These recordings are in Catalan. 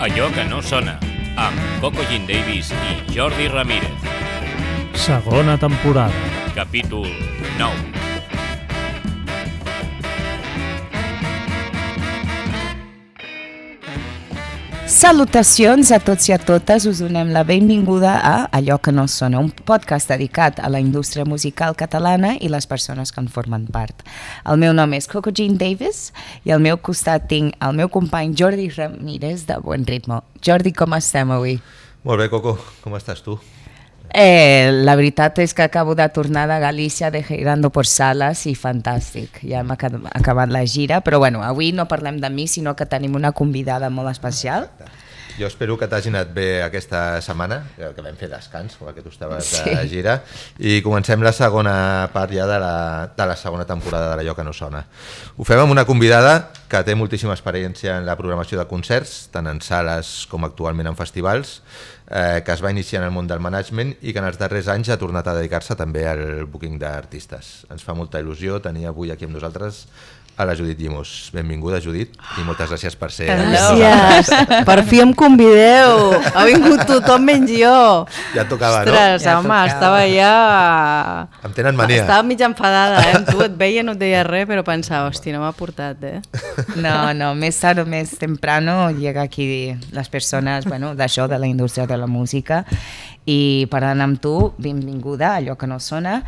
Allò que no sona, amb Coco Jean Davis i Jordi Ramírez. Segona temporada. Capítol 9. Salutacions a tots i a totes, us donem la benvinguda a Allò que no sona, un podcast dedicat a la indústria musical catalana i les persones que en formen part. El meu nom és Coco Jean Davis i al meu costat tinc el meu company Jordi Ramírez de Buen Ritmo. Jordi, com estem avui? Molt bé, Coco, com estàs tu? La veritat és que acabo de tornar de Galícia de girando por salas i fantàstic, ja hem acabat la gira, però bueno, avui no parlem de mi, sinó que tenim una convidada molt especial. Jo espero que t'hagi anat bé aquesta setmana, que vam fer descans, perquè tu estaves de gira, i comencem la segona part ja de la segona temporada de l'Allò que no sona. Ho fem amb una convidada que té moltíssima experiència en la programació de concerts, tant en sales com actualment en festivals, que es va iniciar en el món del management i que en els darrers anys ha tornat a dedicar-se també al booking d'artistes. Ens fa molta il·lusió tenir avui aquí amb nosaltres a la Judit Llimós. Benvinguda, Judit, i moltes gràcies per ser aquí. Gràcies, per fi em convideu. Ha vingut tothom menys jo. Ja et tocava, ostres, no? Home, estava ja... Em tenen mania. Estava mig enfadada, amb tu et veia, no et deia res, però pensava, hòstia, no m'ha portat, No, més tard o més temprano llega aquí les persones, bueno, d'això, de la indústria de la música, i parlant amb tu, benvinguda a Allò que no sona.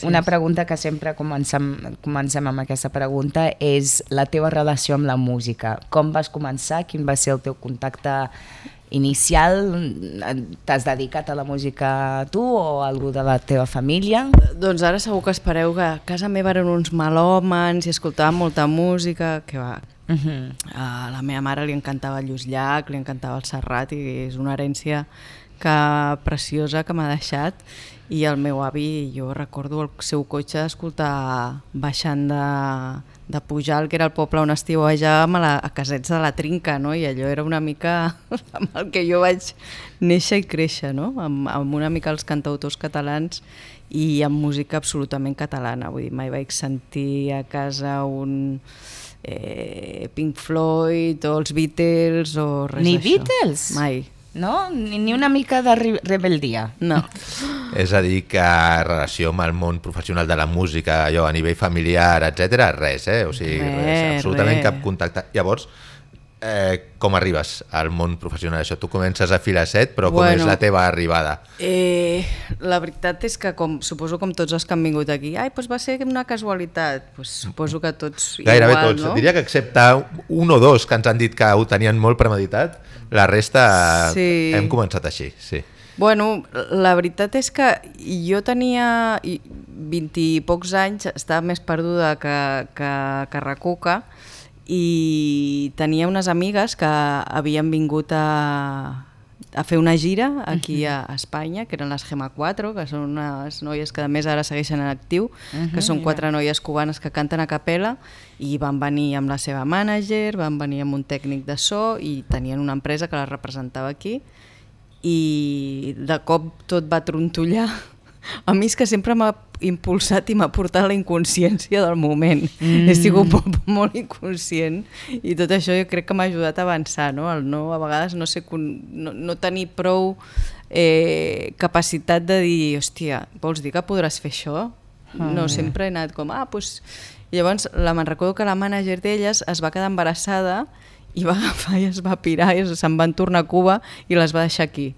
Una pregunta que sempre comencem amb aquesta pregunta és la teva relació amb la música. Com vas començar? Quin va ser el teu contacte inicial? T'has dedicat a la música tu o algú de la teva família? Doncs ara segur que espereu que a casa meva eren uns melòmans i escoltàvem molta música, que va... A la meva mare li encantava el Lluís Llach, li encantava el Serrat i és una herència preciosa que m'ha deixat. I el meu avi, jo recordo el seu cotxe escoltar baixant de Pujalt, que era el poble on estiuejàvem, a Casets de la Trinca, no? I allò era una mica amb el que jo vaig néixer i créixer, no? Amb una mica els cantautors catalans i amb música absolutament catalana. Vull dir, mai vaig sentir a casa un Pink Floyd o els Beatles o res d'això. Ni Beatles? Mai. No? Ni una mica de rebeldia? No. És a dir, que relació amb el món professional de la música, allò a nivell familiar, etc, res, o sigui, res, absolutament cap contacte. Llavors, com arribes al món professional? Això, tu comences a fila 7, però com és la teva arribada? La veritat és que, suposo com tots els que han vingut aquí, doncs va ser una casualitat, suposo que tots gairebé igual, tots, no? Diria que excepte un o dos que ens han dit que ho tenien molt premeditat, la resta hem començat així, sí. Bueno, la veritat és que jo tenia 20 i pocs anys, estava més perduda que recuca, i tenia unes amigues que havien vingut a fer una gira aquí a Espanya, que eren les Gema 4, que són unes noies que a més ara segueixen en actiu, que són 4 noies cubanes que canten a capella, i van venir amb la seva mànager, van venir amb un tècnic de so i tenien una empresa que les representava aquí, i de cop tot va trontollar. A mi és que sempre m'ha impulsat i m'ha portat la inconsciència del moment. He sigut molt inconscient i tot això jo crec que m'ha ajudat a avançar, no? A vegades no tenir prou capacitat de dir, hòstia, vols dir que podràs fer això? No, sempre he anat com, doncs... Llavors me'n recordo que la mànager d'elles es va quedar embarassada i va agafar i es va pirar i se'n van tornar a Cuba i les va deixar aquí.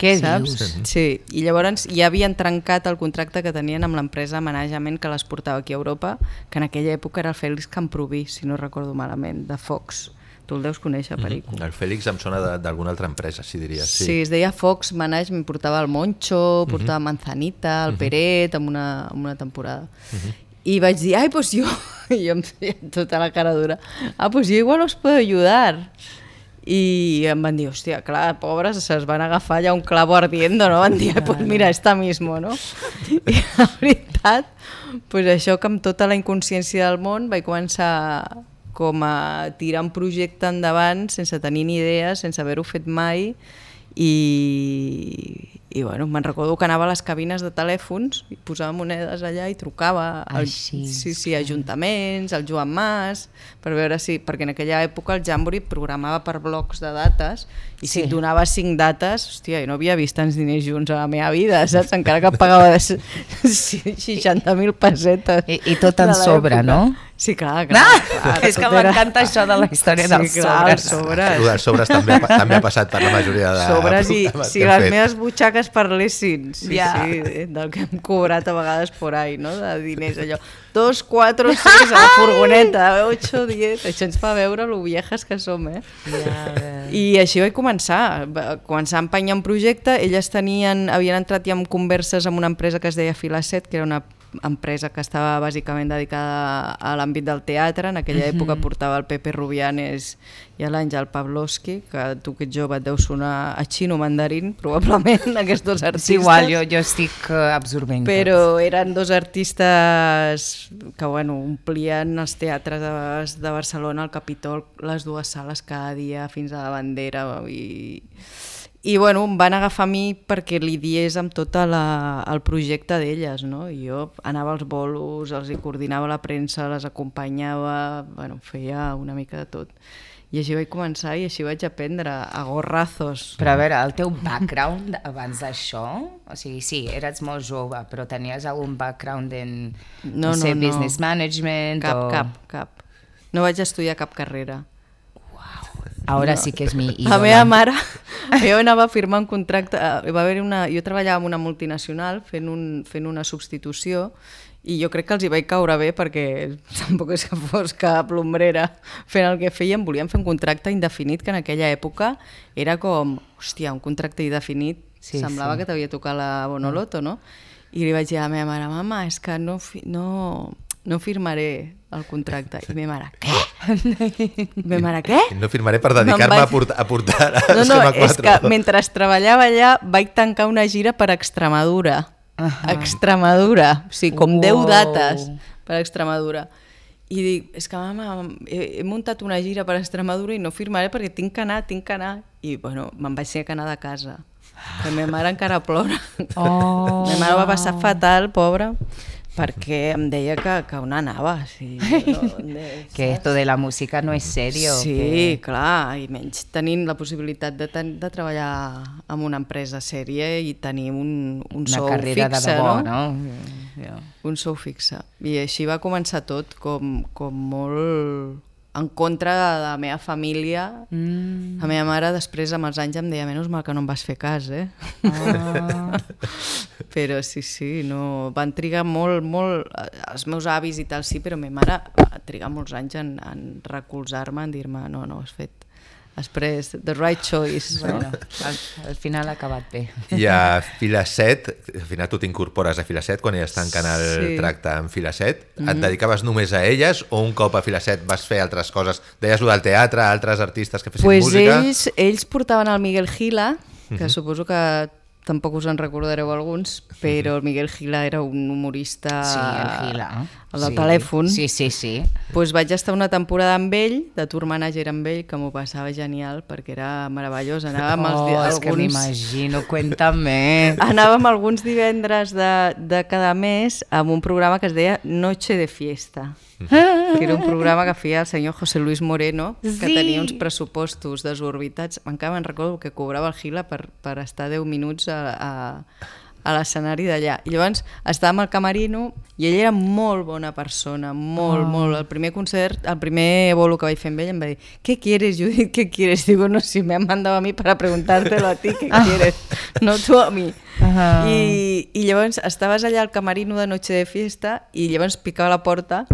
Què saps? dius? Sí, i llavors ja havien trencat el contracte que tenien amb l'empresa de manejament que les portava aquí a Europa, que en aquella època era el Fèlix Camproví, si no recordo malament, de Fox. Tu el deus conèixer, Perico. El Fèlix em sona d'alguna altra empresa, si diries. Sí, es deia Fox Management, portava el Moncho, portava Manzanita, el Peret, amb una temporada. I vaig dir, doncs jo em feia tota la cara dura, doncs jo igual us puedo ayudar. I em van dir, hòstia, clar, pobres, se'ls van agafar allà un clavo ardiendo, no? Van dir, doncs mira, esta mismo, no? I la veritat, doncs això que amb tota la inconsciència del món vaig començar com a tirar un projecte endavant sense tenir ni idea, sense haver-ho fet mai, i bueno, me'n recordo que anava a les cabines de telèfons i posava monedes allà i trucava sí, ajuntaments, al Joan Mas, per veure si, perquè en aquella època el Jamboree programava per blocs de dates i si et donava 5 dates, hòstia, jo no havia vist tants diners junts a la meva vida, saps? Encara que pagava 60.000 pessetes. I tot en sobre, no? Sí, clar. És que m'encanta això de la història dels sobres. Els sobres també ha passat per la majoria de... Sobres i si les meves butxaques parlessin, sí, del que hem cobrat a vegades por ahí, no? De diners, allò. 2, 4, 6, a la furgoneta, 8, 10... Això ens fa veure lo viejas que som, eh? I així vaig començar a empenyar un projecte. Elles havien entrat ja en converses amb una empresa que es deia Filaset, que era una empresa que estava bàsicament dedicada a l'àmbit del teatre. En aquella època portava el Pepe Rubianes i l'Àngel Pavlovsky, que tu que ets jove et deu sonar a xino mandarín, probablement, aquests dos artistes. Sí, igual, jo estic absorbent. Però eren dos artistes que omplien els teatres de Barcelona, el Capitol, les 2 sales cada dia fins a la Bandera i em van agafar a mi perquè lidiés amb tot el projecte d'elles, no? I jo anava als bolos, els hi coordinava la premsa, les acompanyava, feia una mica de tot. I així vaig començar i així vaig aprendre a gorrazos. Però a veure, el teu background abans d'això, o sigui, sí, eres molt jove, però tenies algun background en, no sé, business management? Cap. No vaig estudiar cap carrera. Ara sí que és mi ídola. La meva mare, jo anava a firmar un contracte, jo treballava en una multinacional fent una substitució i jo crec que els hi vaig caure bé perquè tampoc és que fos cap l'ombrera fent el que feien, volien fer un contracte indefinit que en aquella època era com, hòstia, un contracte indefinit, semblava que t'havia tocat la Bonoloto, no? I li vaig dir a la meva mare, mama, és que no firmaré el contracte. I meva mare, què? Meva mare, què? No firmaré per dedicar-me a portar Esquema 4. És que mentre treballava allà vaig tancar una gira per Extremadura. Extremadura. O sigui, com 10 dates per Extremadura. I dic, és que mama, he muntat una gira per Extremadura i no firmaré perquè tinc que anar. I me'n vaig ser que anar de casa. La meva mare encara plora. La meva mare va passar fatal, pobra, perquè em deia que on anava. Sí, que esto de la música no és serio. Sí, clar, i menys tenint la possibilitat de treballar en una empresa sèria i tenir un sou fixe. Una carrera de debò, no? Un sou fixe. I així va començar tot, com molt en contra de la meva família. La meva mare després amb els anys em deia, menys mal que no em vas fer cas, eh? Però sí, no, van trigar molt, els meus avis i tal sí, però la meva mare va trigar molts anys en recolzar-me, en dir-me, no, has fet després, the right choice. Al final ha acabat bé. I a Filaset, al final tu t'incorpores a Filaset quan elles tanquen el tracte amb Filaset. Et dedicaves només a elles o un cop a Filaset vas fer altres coses? Deies lo del teatre, altres artistes que fessin música? Ells portaven el Miguel Gila, que suposo que tampoc us en recordareu alguns, però el Miguel Gila era un humorista, el del telèfon. Sí. Doncs vaig estar una temporada amb ell, de tour manager amb ell, que m'ho passava genial, perquè era meravellós. És que m'imagino, cuéntame. Anàvem alguns divendres de cada mes amb un programa que es deia Noche de Fiesta, que era un programa que feia el senyor José Luis Moreno, que tenia uns pressupostos desorbitats. Encara me'n recordo que cobrava el Gila per estar 10 minuts a l'escenari d'allà. I llavors estàvem al camerino i ell era molt bona persona, molt. El primer concert, el primer bolo que vaig fer amb ell em va dir, ¿qué quieres, Judith? ¿Qué quieres? Digo, no, si me han mandado a mí para preguntártelo a ti, ¿qué quieres? No tú a mí. I llavors estaves allà al camerino de Noche de Fiesta i llavors picava la porta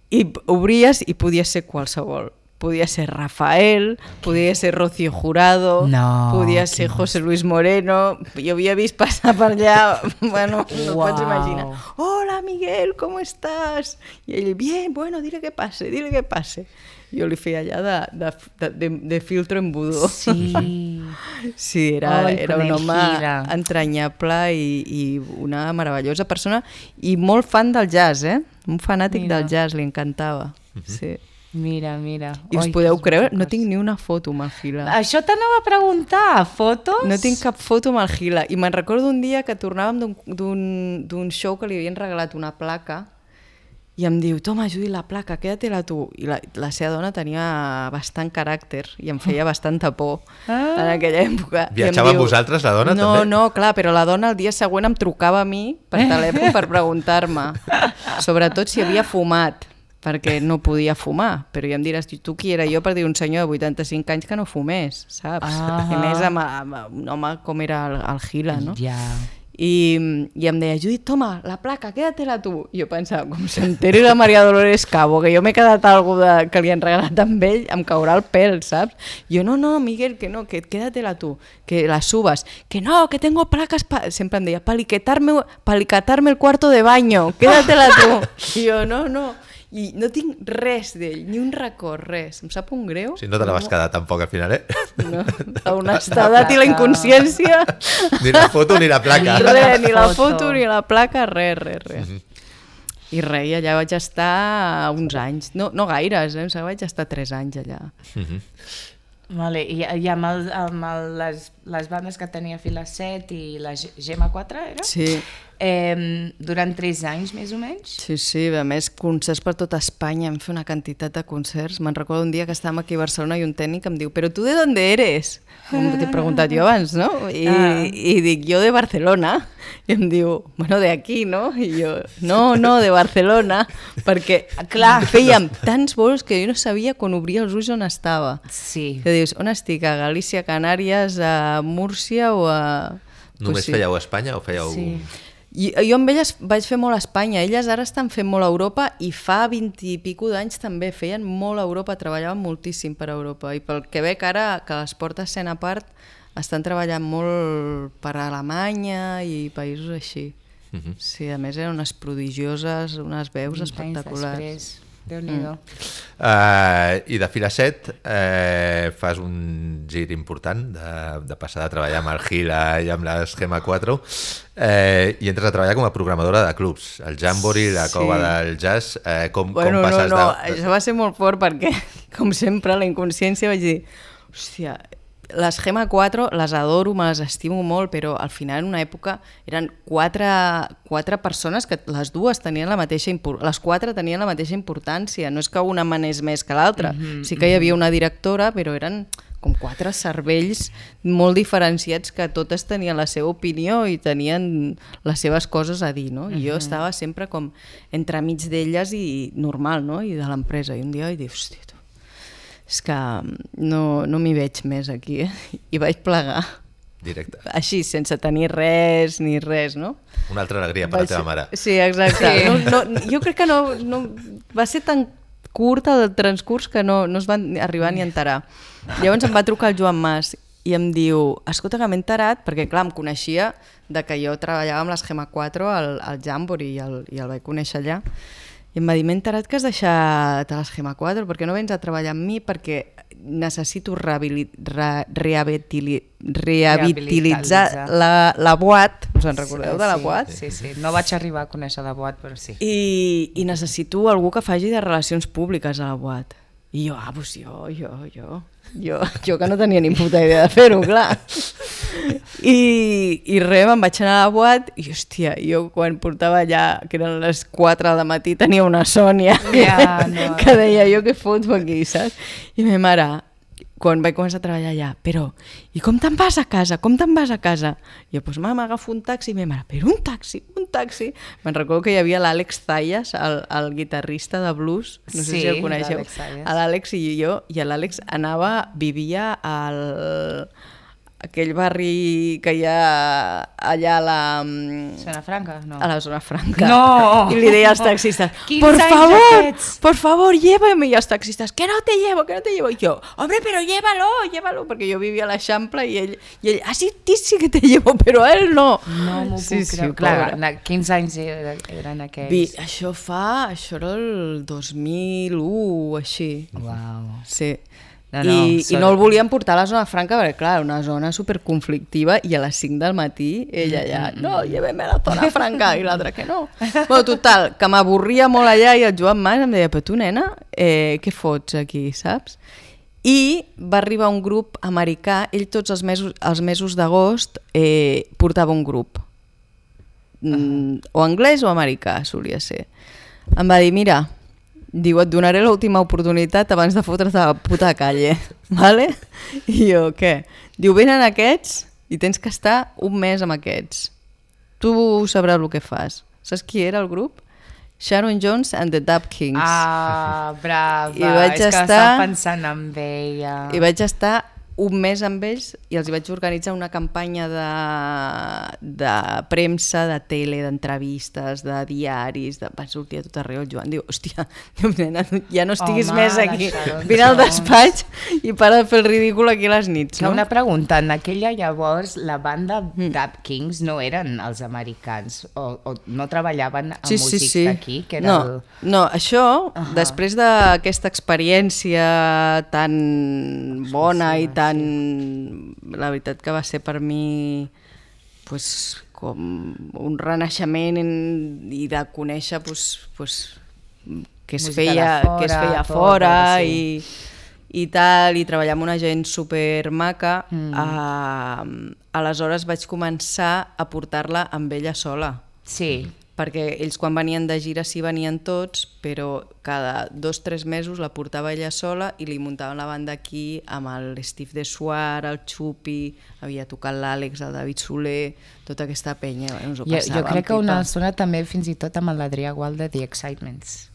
i obries i podia ser qualsevol. Podia ser Rafael, podia ser Rocío Jurado, podia ser José Luis Moreno. Jo havia vist passar per allà, bueno, no pots imaginar. Hola Miguel, ¿cómo estás? I ell, bien, bueno, dile que pase. Jo li feia allà de filtro embudo. Sí, era un home entranyable i una meravellosa persona i molt fan del jazz, un fanàtic del jazz, li encantava. Sí. Mira. I us podeu creure, no tinc ni una foto amb el Gila. Això t'anava a preguntar, fotos? No tinc cap foto amb el Gila. I me'n recordo un dia que tornàvem d'un show que li havien regalat una placa i em diu, toma, Judi, la placa, quédatela tu. I la seva dona tenia bastant caràcter i em feia bastanta por en aquella època. Viatjava amb vosaltres, la dona, també? No, clar, però la dona el dia següent em trucava a mi per telèfon per preguntar-me, sobretot si havia fumat, perquè no podia fumar, però ja em diràs, tu qui era jo per dir un senyor de 85 anys que no fumés, saps? I més amb un home com era el Gila, no? Ja. I em deia, Judit, toma, la placa, quédatela tu. I jo pensava, com s'enteri la Maria Dolores Cabo, que jo m'he quedat alguna que li han regalat amb ell, em caurà el pèl, saps? Jo, no, Miguel, que no, que quédatela tu, que la subas. Que no, que tengo placas, sempre em deia, palicatarme el cuarto de baño, quédatela tu. I jo, no. I no tinc res d'ell, ni un record, res. Em sap un greu. Si no te la vas quedar tampoc al final, No, l'honestedat i la inconsciència. Ni la foto ni la placa. Res, ni la foto ni la placa, res. I res, i allà vaig estar uns anys, no gaires, vaig estar 3 anys allà. Vale, i amb les bandes que tenia Fila 7 i la Gemma 4, era? Sí. Durant 3 anys, més o menys? Sí, a més, concerts per tota Espanya, hem fet una quantitat de concerts. Me'n recordo un dia que estàvem aquí a Barcelona i un tècnic em diu, però tu de dónde eres? T'he preguntat jo abans, no? I dic, jo de Barcelona. I em diu, bueno, de aquí, no? I jo, no, de Barcelona, perquè, clar, fèiem tants vols que jo no sabia quan obria els ulls on estava. Sí. Que dius, on estic? A Galícia, Canàries, a Múrcia o a... Només fèieu a Espanya o fèieu... Sí. Jo amb elles vaig fer molt a Espanya, elles ara estan fent molt a Europa i fa 20 i pico d'anys també feien molt a Europa, treballaven moltíssim per a Europa i pel que veig ara, que les portes sent a part, estan treballant molt per a Alemanya i països així. Sí, a més eren unes prodigioses, unes veus espectaculars. Déu-n'hi-do. I de Fila 7 fas un gir important de passar de treballar amb el Gila i amb l'Esquema 4 i entres a treballar com a programadora de clubs, el Jamboree, la Cova del Jazz. Com passes de... Això va ser molt fort perquè, com sempre, la inconsciència vaig dir, hòstia, l'Esquema 4 les adoro, me les estimo molt, però al final en una època eren quatre persones que les dues tenien la mateixa les 4 tenien la mateixa importància, no és que una manés més que l'altra, sí que hi havia una directora, però eren com 4 cervells molt diferenciats que totes tenien la seva opinió i tenien les seves coses a dir, no? I jo estava sempre com entremig d'elles i normal, no? I de l'empresa, i un dia vaig dir, hòstia, és que no m'hi veig més aquí, i vaig plegar. Directe. Així, sense tenir res ni res, no? Una altra alegria per la teva mare. Sí, exacte. Sí. Jo crec que no va ser tan curt el transcurs que no es van arribar ni a enterar. Llavors em va trucar el Joan Mas i em diu, escolta, que m'he enterat, perquè clar, em coneixia de que jo treballava amb l'Esquema 4 al Jamboree i el vaig conèixer allà. I em va dir, m'he enterat que has deixat l'Esquema 4, perquè no vens a treballar amb mi, perquè necessito rehabilitar la Boat. Us en recordeu de la Boat? Sí. No vaig arribar a conèixer la Boat, però sí. I necessito algú que faci de relacions públiques a la Boat. I jo, doncs jo que no tenia ni puta idea de fer-ho, clar. I res, me'n vaig anar a la Boat i, hòstia, jo quan portava allà, que eren les 4 del matí, tenia una Sònia que deia, jo què foto aquí, saps? I ma mare, quan vaig començar a treballar allà, però, i com te'n vas a casa? I jo, doncs m'agafo un taxi, i ma mare, però un taxi? Me'n recordo que hi havia l'Àlex Zayas, el guitarrista de blues, no sé si el coneixeu, l'Àlex i jo, i l'Àlex vivia al... aquell barri que hi ha allà a la... Zona Franca? No. A la Zona Franca. No! I li deia als taxistes, por favor, llévame. I els taxistes, que no te llevo. I jo, hombre, pero llévalo. Perquè jo vivia a l'Eixample i ell, sí que te llevo, però a ell no. No m'ho puc creure. Clar, 15 anys eren aquells. Això era el 2001, així. Uau. Sí. I no el volien portar a la zona franca perquè, clar, una zona superconflictiva i a les 5 del matí ella allà, no, lléveme a la zona franca, i l'altra que no. Bueno, total, que m'avorria molt allà i el Joan Mas em deia, però tu, nena, què fots aquí, saps? I va arribar un grup americà, ell tots els mesos d'agost portava un grup, o anglès o americà, solia ser. Em va dir, mira, diu, et donaré l'última oportunitat abans de fotre's a la puta calle, vale? I jo, què? Diu, venen aquests i tens que estar un mes amb aquests. Tu sabràs el que fas. Saps qui era el grup? Sharon Jones and the Dap Kings. Ah, brava. I vaig és que estava pensant en ella. I vaig estar un mes amb ells i els vaig organitzar una campanya de premsa, de tele, d'entrevistes, de diaris, va sortir a tot arreu. El Joan diu, hòstia, nena, ja no estiguis més aquí. Vine al despatx i para de fer el ridícul aquí a les nits. No? Una pregunta, en aquella llavors la banda Dap Kings no eren els americans o no treballaven amb músics d'aquí? No, això, després d'aquesta experiència tan bona i tan... La veritat que va ser per mi pues, com un renaixement i de conèixer què es feia fora i tal, i treballar amb una gent super maca. Aleshores vaig començar a portar-la amb ella sola. Sí. Perquè ells quan venien de gira sí venien tots, però cada 2 o 3 mesos la portava ella sola i li muntaven la banda aquí amb el Steve de Suar, el Xupi, havia tocat l'Àlex, el David Soler, tota aquesta penya. Ens ho passàvem, jo crec que una estona també fins i tot amb l'Adrià Gual de The Excitements,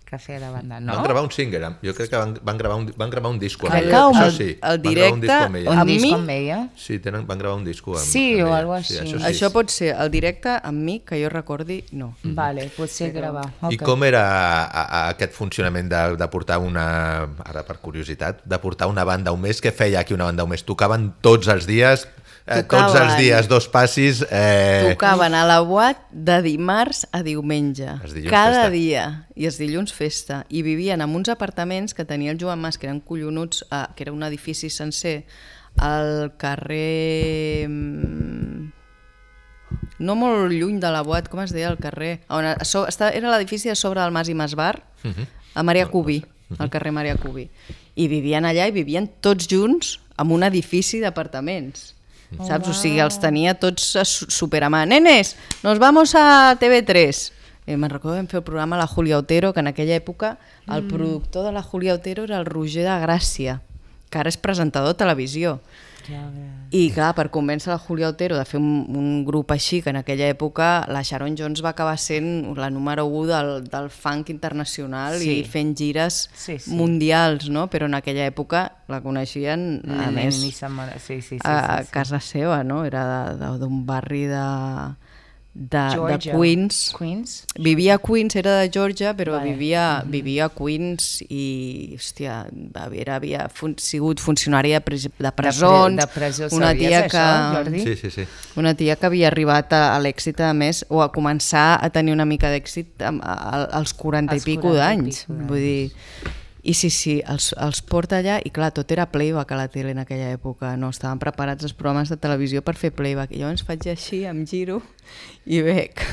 que feia de banda, no? Van gravar un single, jo crec que van gravar un disco amb ella. Això sí, el directe un disc amb ella? Sí, van gravar un disco amb ella. O alguna cosa així. Això pot ser el directe amb mi, que jo recordi, no. Vale, potser gravar. I com era aquest funcionament de portar una, ara per curiositat, de portar una banda un mes? Què feia aquí una banda un mes? Tocaven tots els dies... Tots els dies, 2 passis... Tocaven a la Boat de dimarts a diumenge, cada dia, i els dilluns festa, i vivien en uns apartaments que tenia el Joan Mas, que eren collonuts, que era un edifici sencer, al carrer... no molt lluny de la Boat, com es deia el carrer? Era l'edifici a sobre del Mas i Masbar, a Maria Cubí, al carrer Maria Cubí, i vivien allà i vivien tots junts en un edifici d'apartaments. Saps? O sigui, els tenia tots super a mà. Nenes, nos vamos a TV3. Me'n recordo que vam fer el programa La Julia Otero, que en aquella època el productor de La Julia Otero era el Roger de Gràcia, que ara és presentador de televisió. I clar, per convèncer la Julia Otero de fer un grup així, que en aquella època la Sharon Jones va acabar sent la número 1 del funk internacional i fent gires mundials, no? Però en aquella època la coneixien a més a casa seva, no? Era d'un barri de Queens. Vivia a Queens, era de Georgia, però vivia a Queens i, hòstia, havia sigut funcionària de presons, una tia que havia arribat a l'èxit, a més, o a començar a tenir una mica d'èxit als 40 i pico d'anys. Vull dir... I sí, els porta allà i clar, tot era playback a la tele en aquella època, no? Estaven preparats els programes de televisió per fer playback i llavors faig així, em giro i veig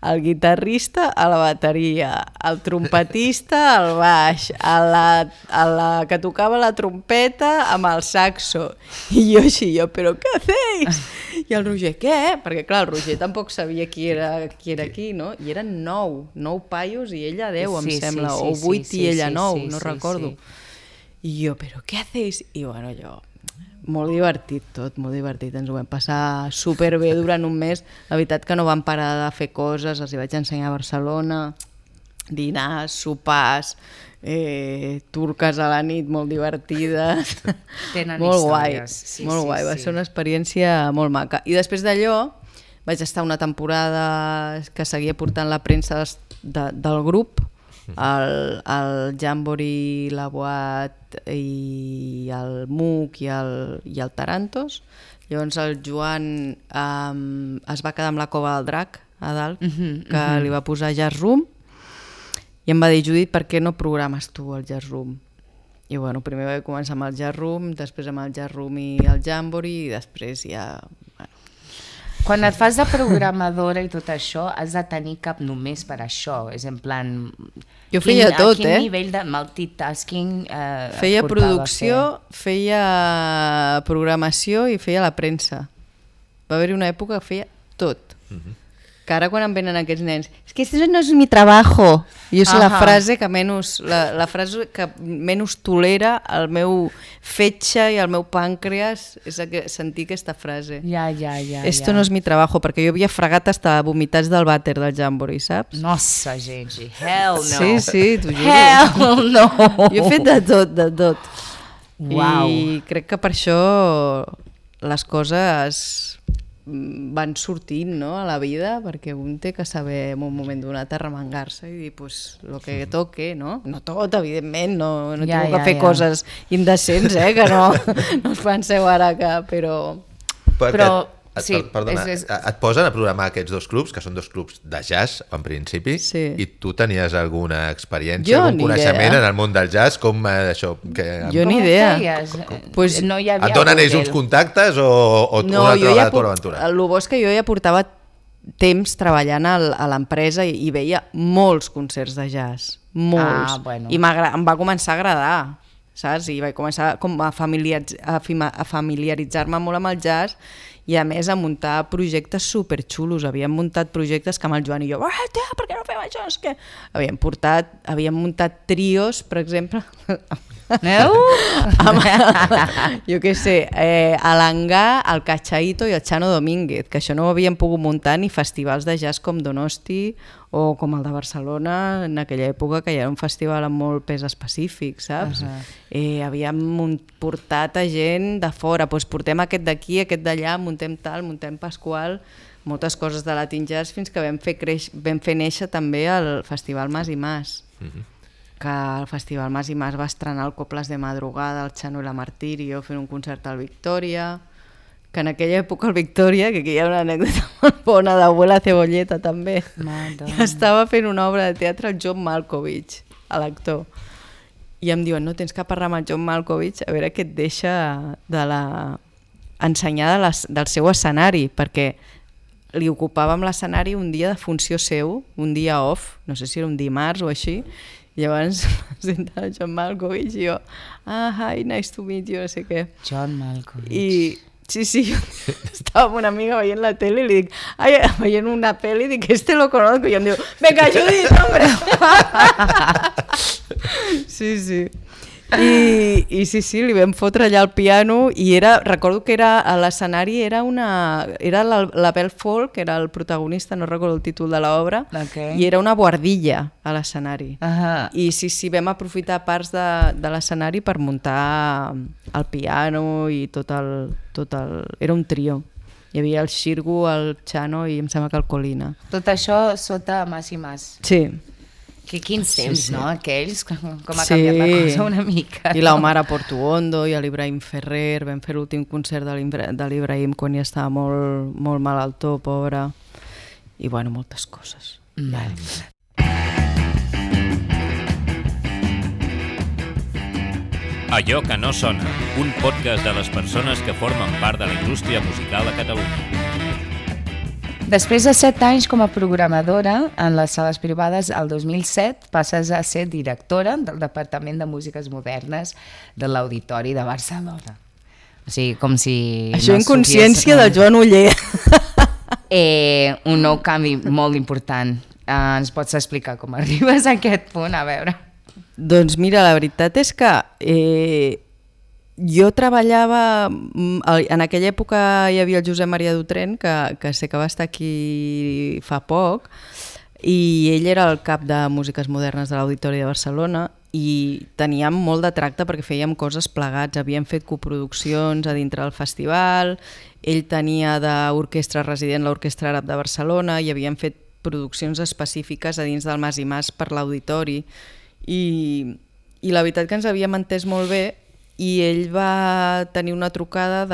el guitarrista a la bateria, el trompetista al baix, la que tocava la trompeta amb el saxo i jo així, però què hacéis? I el Roger, què? Perquè clar, el Roger tampoc sabia qui era qui, no? I eren 9 paios i ella 10, em sembla, o 8 i ella 9, no recordo. I jo, però què hacéis? I bueno, jo... Molt divertit tot, molt divertit. Ens ho vam passar superbé durant un mes. La veritat que no vam parar de fer coses, els hi vaig ensenyar a Barcelona, dinars, sopars, turques a la nit molt divertides. Molt guai, molt guai. Va ser una experiència molt maca. I després d'allò vaig estar una temporada que seguia portant la premsa del grup, el Jamboree, la Boat i el MUC i el Tarantos. Llavors el Joan es va quedar amb la Cova del Drac a dalt, que li va posar Jazz Room, i em va dir, Judit, per què no programes tu el Jazz Room? I bueno, primer vaig començar amb el jazz room, després amb el jazz room i el jamboree, i després ja... Bueno. Quan et fas de programadora i tot això, has de tenir cap només per això. És en plan... Jo feia tot, A quin nivell de multitasking feia producció, feia programació i feia la premsa. Va haver-hi una època que feia tot. Que ara quan em venen aquests nens, és que este no és mi trabajo. Jo sé la frase que menys, la frase que menys tolera el meu fetge i el meu pàncreas és sentir aquesta frase. Ja. Esto no és mi trabajo, perquè jo havia fregat hasta vomitats del vàter del jamboree, saps? Nossa, gent, hell no. Sí, t'ho juro. Hell no. Jo he fet de tot. Uau. I crec que per això les coses van sortint, no, a la vida, perquè un té que saber en un moment donat arremangar-se i dir, pues, lo que toque, no? No tot, evidentment, no tinc que fer coses indecents, que no us penseu ara que... Però sí, perdona, et posen a programar aquests dos clubs, que són dos clubs de jazz, en principi, i tu tenies alguna experiència, algun coneixement en el món del jazz, com això? Jo ni idea. Pues no hi havia et donen ells uns contactes o una altra vegada tu l'aventura? El bo és que jo ja portava temps treballant a l'empresa i veia molts concerts de jazz, molts. I em va començar a agradar, saps? I vaig començar a familiaritzar-me molt amb el jazz i a més a muntar projectes superxulos. Havíem muntat projectes que amb el Joan i jo, tia, per què no fem això? És que havíem muntat trios, per exemple, jo què sé, a l'Angà, el Cachaito i el Chano Domínguez, que això no ho havíem pogut muntar ni festivals de jazz com Donosti o com el de Barcelona en aquella època, que ja era un festival amb molt pes específic, saps? Havíem portat a gent de fora, doncs portem aquest d'aquí, aquest d'allà, muntem tal, muntem Pasqual, moltes coses de Latin Jazz, fins que vam fer néixer també el Festival Mas i Mas, que el Festival Mas i Mas va estrenar el Coples de Madrugada, el Chano i la Martirio, fent un concert al Victòria, que en aquella època al Victòria, que aquí hi ha una anècdota molt bona d'Abuela Cebolleta també, estava fent una obra de teatre el John Malkovich, l'actor, i em diuen, no, tens que parlar amb el John Malkovich a veure què et deixa ensenyar del seu escenari, perquè li ocupàvem l'escenari un dia de funció seu, un dia off, no sé si era un dimarts o així, i llavors presentava el John Malkovich i jo, hi, nice to meet you, no sé què. John Malkovich. I sí, jo estava amb una amiga veient la tele i li dic, veient una pel·li, dic, lo conozco, i em diu, venga, Judit, hombre! Sí. I sí, li vam fotre allà al piano i recordo que a l'escenari era l'Abel Folk, que era el protagonista, no recordo el títol de l'obra, i era una buhardilla a l'escenari. I sí, vam aprofitar parts de l'escenari per muntar el piano i tot el... Era un trio. Hi havia el Xirgu, el Chano i em sembla que el Colina. Tot això sota Mas i Mas. Sí. Quins temps, no? Aquells, com ha canviat la cosa una mica. I l'Omar Portuondo i l'Ibrahim Ferrer, vam fer l'últim concert de l'Ibrahim quan ja estava molt, molt malaltó, pobre. I bueno, moltes coses. Allò que no sona, un podcast de les persones que formen part de la indústria musical a Catalunya. Després de 7 anys com a programadora en les sales privades, el 2007 passes a ser directora del Departament de Músiques Modernes de l'Auditori de Barcelona. O sigui, com si... Això en consciència del Joan Oller. Un nou canvi molt important. Ens pots explicar com arribes a aquest punt? A veure. Doncs mira, la veritat és que... Jo treballava, en aquella època hi havia el Josep Maria Dutren, que sé que va estar aquí fa poc, i ell era el cap de Músiques Modernes de l'Auditori de Barcelona i teníem molt de tracte perquè fèiem coses plegats, havíem fet coproduccions a dintre del festival, ell tenia d'orquestra resident l'Orquestra Àrab de Barcelona i havíem fet produccions específiques a dins del Mas i Mas per l'Auditori i la veritat que ens havíem entès molt bé. I ell va tenir una trucada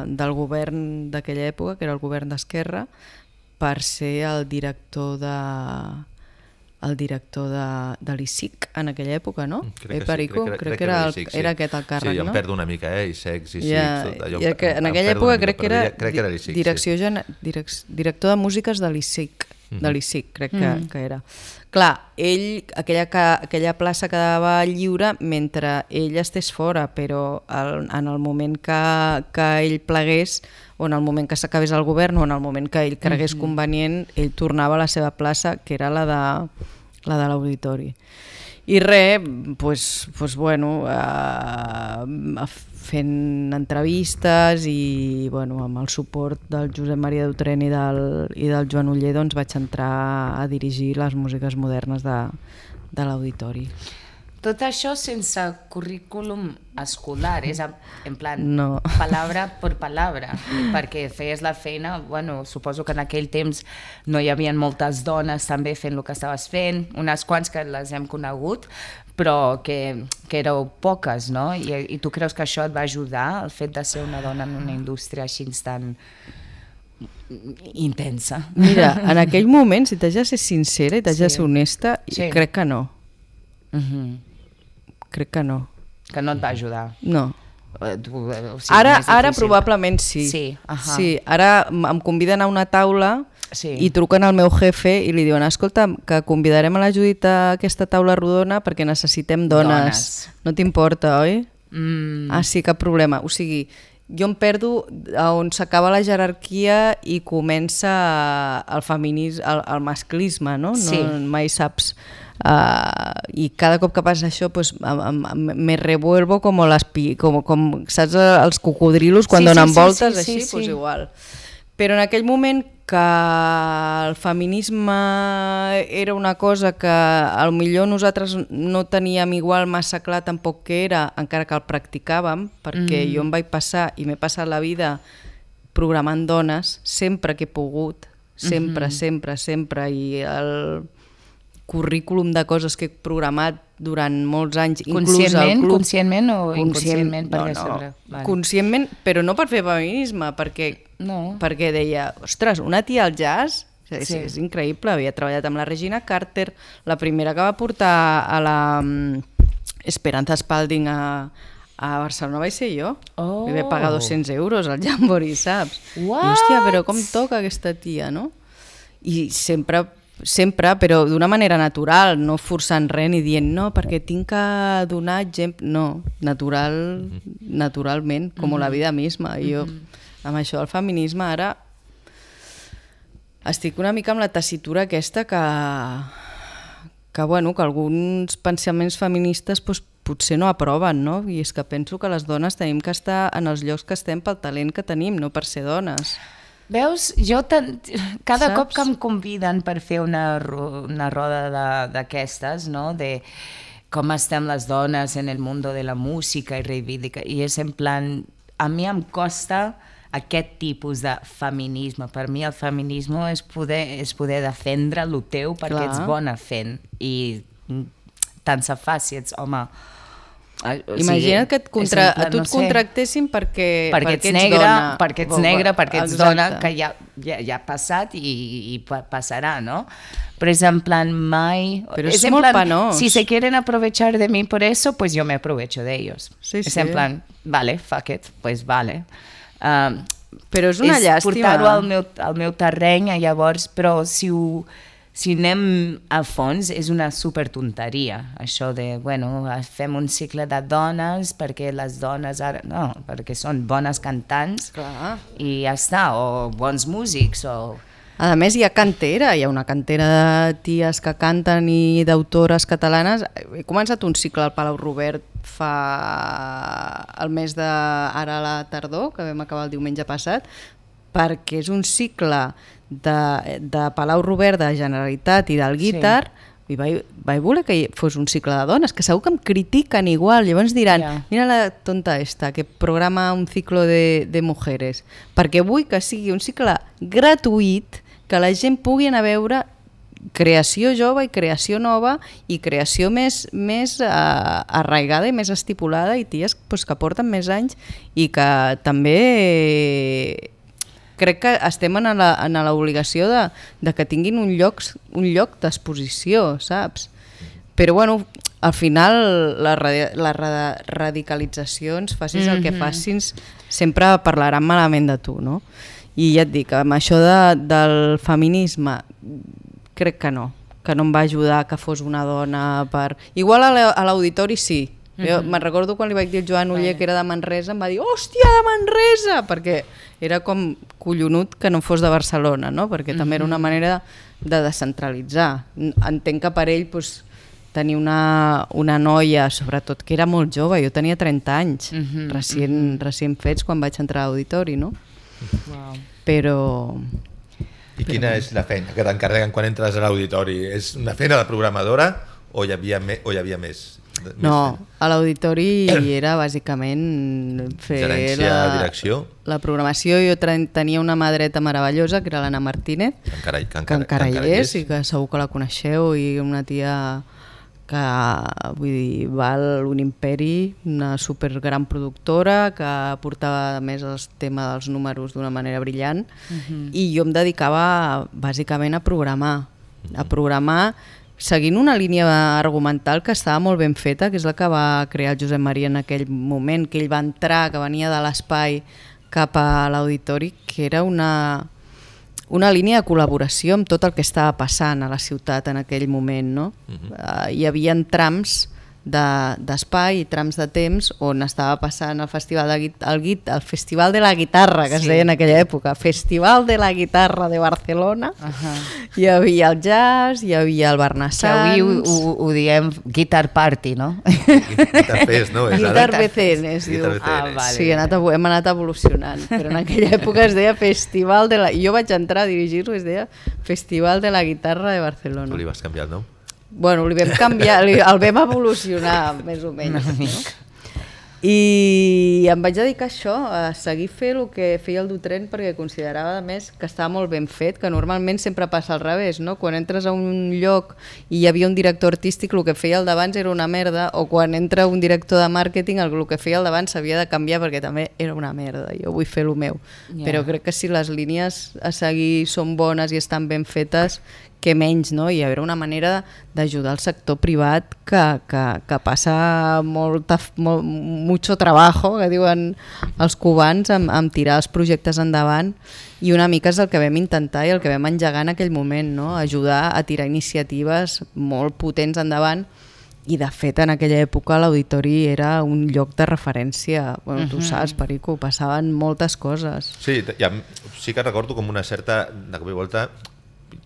del govern d'aquella època, que era el govern d'Esquerra, per ser el director el director de l'ISIC en aquella època, no? Crec que Perico? sí, crec que era aquest el càrrec, no? Sí, em no? perdo una mica, ISEC, en aquella època crec que era director de músiques de l'ISIC, crec que era. Clar, aquella plaça quedava lliure mentre ell estés fora, però en el moment que ell plegués, o en el moment que s'acabés el govern, o en el moment que ell cregués convenient, ell tornava a la seva plaça, que era la de l'auditori. I res, fent entrevistes i amb el suport del Josep Maria Dutren i del Joan Oller vaig entrar a dirigir les músiques modernes de l'auditori. Tot això sense currículum escolar, és en plan no. palabra per palabra, perquè feies la feina, suposo que en aquell temps no hi havia moltes dones també fent el que estaves fent, unes quants que les hem conegut, però que éreu poques, no? I tu creus que això et va ajudar, el fet de ser una dona en una indústria així tan intensa? Mira, en aquell moment, si t'haig de ser sincera i t'haig de ser honesta, crec que no. Crec que no. Que no et va ajudar? No. Ara probablement sí. Sí, ara em conviden a una taula i truquen al meu jefe i li diuen escolta, que convidarem a la Judit a aquesta taula rodona perquè necessitem dones. No t'importa, oi? Sí, cap problema. O sigui, jo em perdo on s'acaba la jerarquia i comença el feminisme, el masclisme, no? Mai saps. I cada cop que passa això me revuelvo com saps els cocodrilos quan donen voltes així, doncs igual. Però en aquell moment que el feminisme era una cosa que potser nosaltres no teníem igual massa clar tampoc que era, encara que el practicàvem, perquè jo em vaig passar i m'he passat la vida programant dones sempre que he pogut, sempre, i el currículum de coses que he programat durant molts anys, inclús al club. Conscientment o inconscientment? Conscientment, però no per fer feminisme, perquè deia, ostres, una tia al jazz, és increïble, havia treballat amb la Regina Carter, la primera que va portar a la Esperanza Spalding a Barcelona vaig ser jo. Li vaig pagar 200 euros al Jamboree, saps? I hòstia, però com toca aquesta tia, no? I sempre, però d'una manera natural, no forçant res ni dient no, perquè tinc que donar exemple, no, naturalment, com la vida misma. Jo, amb això del feminisme, ara estic una mica amb la tessitura aquesta que alguns pensaments feministes potser no aproven, no? I és que penso que les dones tenim que estar en els llocs que estem pel talent que tenim, no per ser dones. Veus, cada cop que em conviden per fer una roda d'aquestes, no? De com estem les dones en el món de la música i reivindica, i és en plan, a mi em costa aquest tipus de feminisme. Per mi el feminisme és poder defendre el teu perquè ets bona fent, i tant se fa si ets home. Imagina't que a tu et contractessin perquè ets dona. Perquè ets negra, perquè ets dona, que ja ha passat i passarà, no? Però és en plan mai... Però és molt penós. Si se quieren aprovechar de mí por eso, pues yo me aprovecho de ellos. És en plan, vale, fuck it, pues vale. Però és una llàstima. És portar-ho al meu terreny, llavors, però si anem a fons, és una supertonteria, això de, fem un cicle de dones perquè les dones ara... No, perquè són bones cantants i ja està, o bons músics, o... A més, hi ha una cantera de ties que canten i d'autores catalanes. He començat un cicle al Palau Robert el mes ara a la tardor, que vam acabar el diumenge passat, perquè és un cicle de Palau Robert, de Generalitat i del Guitar, i vaig voler que fos un cicle de dones, que segur que em critiquen igual, llavors diran, mira la tonta esta, que programa un ciclo de mujeres, perquè vull que sigui un cicle gratuït, que la gent pugui anar a veure creació jove i creació nova i creació més arraigada i més estipulada, i ties que porten més anys i que també crec que estem en l'obligació de que tinguin un lloc d'exposició, saps? Però bueno, al final les radicalitzacions, facis el que facis, sempre parlaran malament de tu, no? I ja et dic, amb això del feminisme crec que no em va ajudar que fos una dona per... Igual a l'auditori sí. Jo me'n recordo quan li vaig dir al Joan Oller que era de Manresa, em va dir, hòstia, de Manresa! Perquè era com collonut que no fos de Barcelona, no? Perquè també era una manera de descentralitzar. Entenc que per ell tenir una noia, sobretot que era molt jove, jo tenia 30 anys, recient fets quan vaig entrar a l'auditori, no? Però... I quina és la feina que t'encarreguen quan entres a l'auditori? És una feina de programadora o hi havia més? No, a l'auditori era bàsicament fer gerència, direcció. La programació. Jo tenia una mà dreta meravellosa, que era l'Anna Martínez, que encara hi és i que segur que la coneixeu, i una tia que vull dir, val un imperi, una supergran productora que portava més el tema dels números d'una manera brillant, i jo em dedicava bàsicament a programar seguint una línia argumental que estava molt ben feta, que és la que va crear el Josep Maria en aquell moment, que ell va entrar, que venia de l'espai cap a l'auditori, que era una línia de col·laboració amb tot el que estava passant a la ciutat en aquell moment, no? Hi havia trams d'espai i trams de temps on estava passant el festival de la guitarra, que es deia en aquella època, Festival de la Guitarra de Barcelona. Hi havia el jazz, hi havia el Barnassans. Que avui ho diem Guitar Party, no? Guitar Fest, no? Guitar BCN, es diu. Sí, hem anat evolucionant, però en aquella època es deia Festival de la... Jo vaig entrar a dirigir-ho, es deia Festival de la Guitarra de Barcelona. Tu li vas canviar el nom? Bueno, li vam canviar, el vam evolucionar més o menys, no? I em vaig dedicar a això, a seguir fent el que feia el Dutren, perquè considerava a més que estava molt ben fet, que normalment sempre passa al revés, no? Quan entres a un lloc i hi havia un director artístic, el que feia el d'abans era una merda, o quan entra un director de màrqueting, el que feia el d'abans s'havia de canviar perquè també era una merda, jo vull fer el meu. Però crec que si les línies a seguir són bones i estan ben fetes, que menys, no? Hi haurà una manera d'ajudar el sector privat que passa mucho trabajo, que diuen els cubans, amb tirar els projectes endavant, i una mica és el que vam intentar i el que vam engegar en aquell moment, no? Ajudar a tirar iniciatives molt potents endavant, i de fet en aquella època l'auditori era un lloc de referència. Bueno, tu saps, Perico, passaven moltes coses. Sí, sí que recordo com una certa, de cop i volta,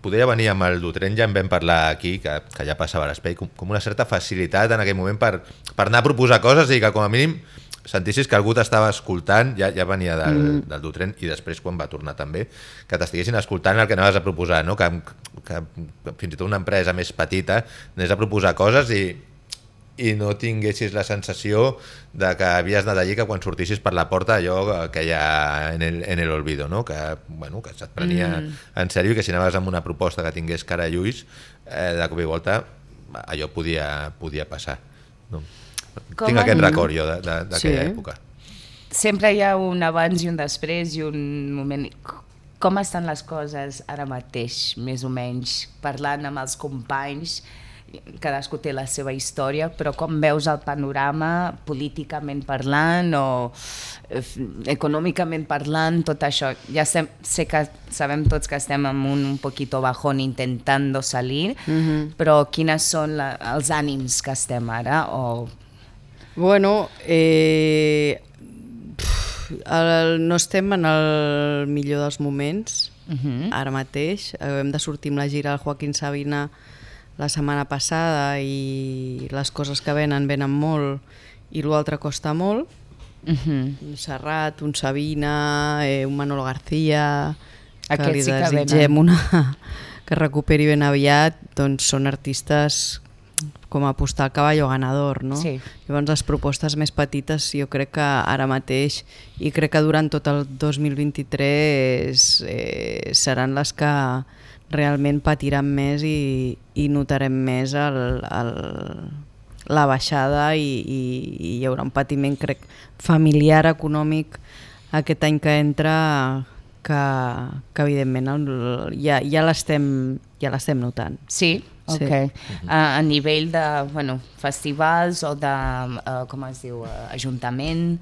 podia venir amb el Dutren, ja en vam parlar aquí, que ja passava a l'espai, com una certa facilitat en aquell moment per anar a proposar coses i que com a mínim sentissis que algú t'estava escoltant, ja venia del Dutren, i després quan va tornar també, que t'estiguessin escoltant el que anaves a proposar, no? Que fins i tot una empresa més petita anés a proposar coses i no tinguessis la sensació de que havies anat allí, que quan sortissis per la porta allò que hi ha en el olvido, no? Que se't prenia en sèrio, i que si anaves amb una proposta que tingués cara i ulls, de cop i volta allò podia passar, no? Tinc aquest record jo d'aquella època. Sempre hi ha un abans i un després i un moment... Com estan les coses ara mateix, més o menys, parlant amb els companys? Cadascú té la seva història, però com veus el panorama políticament parlant o econòmicament parlant, tot això? Ja sé que sabem tots que estem en un poquito bajón intentando salir, però quines són els ànims que estem ara? Bueno, no estem en el millor dels moments ara mateix. Hem de sortir amb la gira al Joaquín Sabina la setmana passada i les coses que venen molt i l'altre costa molt. Un Serrat, un Sabina, un Manolo García, que li desitgem que recuperi ben aviat, doncs són artistes com apostar al caballo ganador, no? Sí. Llavors les propostes més petites jo crec que ara mateix, i crec que durant tot el 2023 seran les que realment patiran més i notarem més la baixada, i hi haurà un patiment, crec, familiar, econòmic aquest any que entra, que evidentment ja l'estem notant. Sí? Sí. Ok. A nivell de festivals o de, com es diu, ajuntament?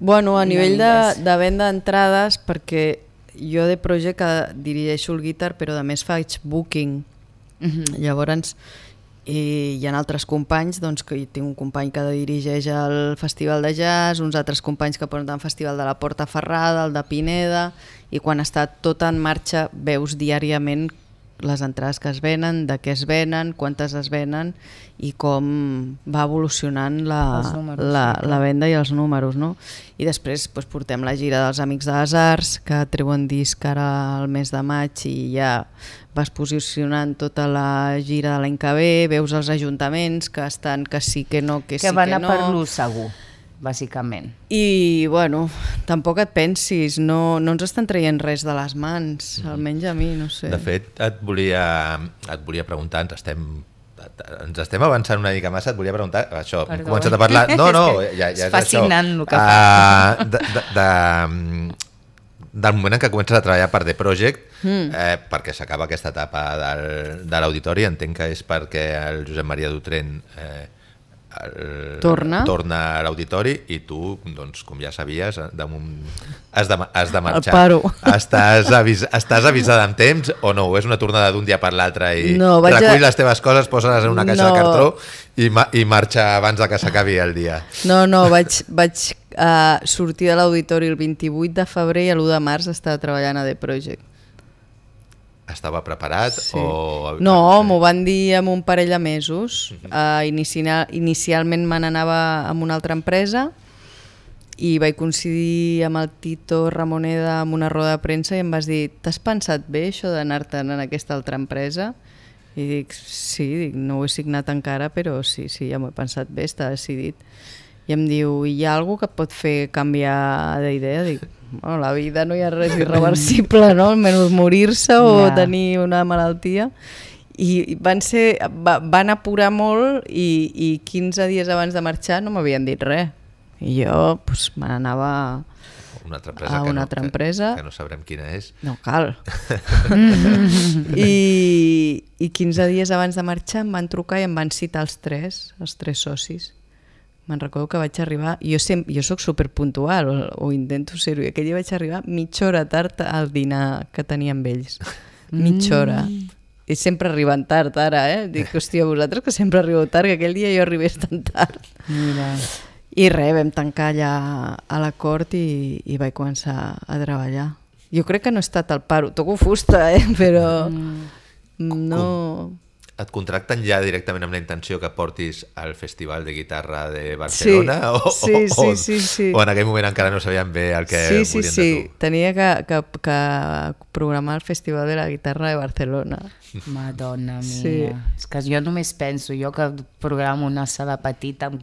Bueno, a nivell digues. de venda d'entrades, perquè jo de Project dirigeixo el guitar, però a més faig booking. Llavors hi ha altres companys, doncs, que tinc un company que dirigeix el Festival de Jazz, uns altres companys que porten el Festival de la Porta Ferrada, el de Pineda, i quan està tot en marxa veus diàriament les entrades que es venen, de què es venen, quantes es venen i com va evolucionant la venda i els números, no? I després portem la gira dels Amics de les Arts, que treuen disc ara al mes de maig i ja vas posicionant tota la gira de l'any que ve, veus els ajuntaments que estan que sí, que no, que sí, que no. Que van a per l'ús segur, bàsicament. I, bueno, tampoc et pensis, no ens estan traient res de les mans, almenys a mi, no sé. De fet, et volia preguntar, ens estem avançant una mica massa, et volia preguntar, això, hem començat a parlar... No, ja és fascinant això. El que fa. Del moment en què comences a treballar per The Project, perquè s'acaba aquesta etapa de l'auditori, entenc que és perquè el Josep Maria Dutren torna a l'auditori i tu, doncs, com ja sabies, has de marxar. Paro. Estàs avisada amb temps o no? O és una tornada d'un dia per l'altre i recull les teves coses, posa-les en una caixa de cartró i marxa abans de que s'acabi el dia? No, vaig sortir de l'auditori el 28 de febrer i l'1 de març estava treballant a The Project. Estava preparat? Sí. No, m'ho van dir en un parell de mesos. Inicialment me n'anava amb una altra empresa i vaig coincidir amb el Tito Ramoneda en una roda de premsa i em vas dir, t'has pensat bé això d'anar-te'n en aquesta altra empresa? I dic, sí, no ho he signat encara, però sí, ja m'ho he pensat bé, està decidit. I em diu, hi ha alguna cosa que et pot fer canviar d'idea? Dic, bueno, la vida no hi ha res irreversible, no? Almenys morir-se o tenir una malaltia. I van apurar molt i 15 dies abans de marxar no m'havien dit res. I jo me n'anava a una altra empresa. Que no sabrem quina és. No cal. I 15 dies abans de marxar em van trucar i em van citar els tres socis. Me'n recordo que vaig arribar, jo soc superpuntual, o intento ser-ho, i aquell dia vaig arribar mitja hora tard al dinar que tenia amb ells. Mitja hora. I sempre arriben tard ara, Dic, hòstia, vosaltres que sempre arribeu tard, que aquell dia jo arribés tan tard. Mira. I res, vam tancar allà a l'acord i vaig començar a treballar. Jo crec que no he estat al paro, toco fusta, però no... Et contracten ja directament amb la intenció que portis al Festival de Guitarra de Barcelona? Sí. O en aquell moment encara no sabien bé el que volien de tu? Sí. Tenia que programar el Festival de la Guitarra de Barcelona. Madonna mia. Sí. És que jo només penso, jo que programo una sala petita amb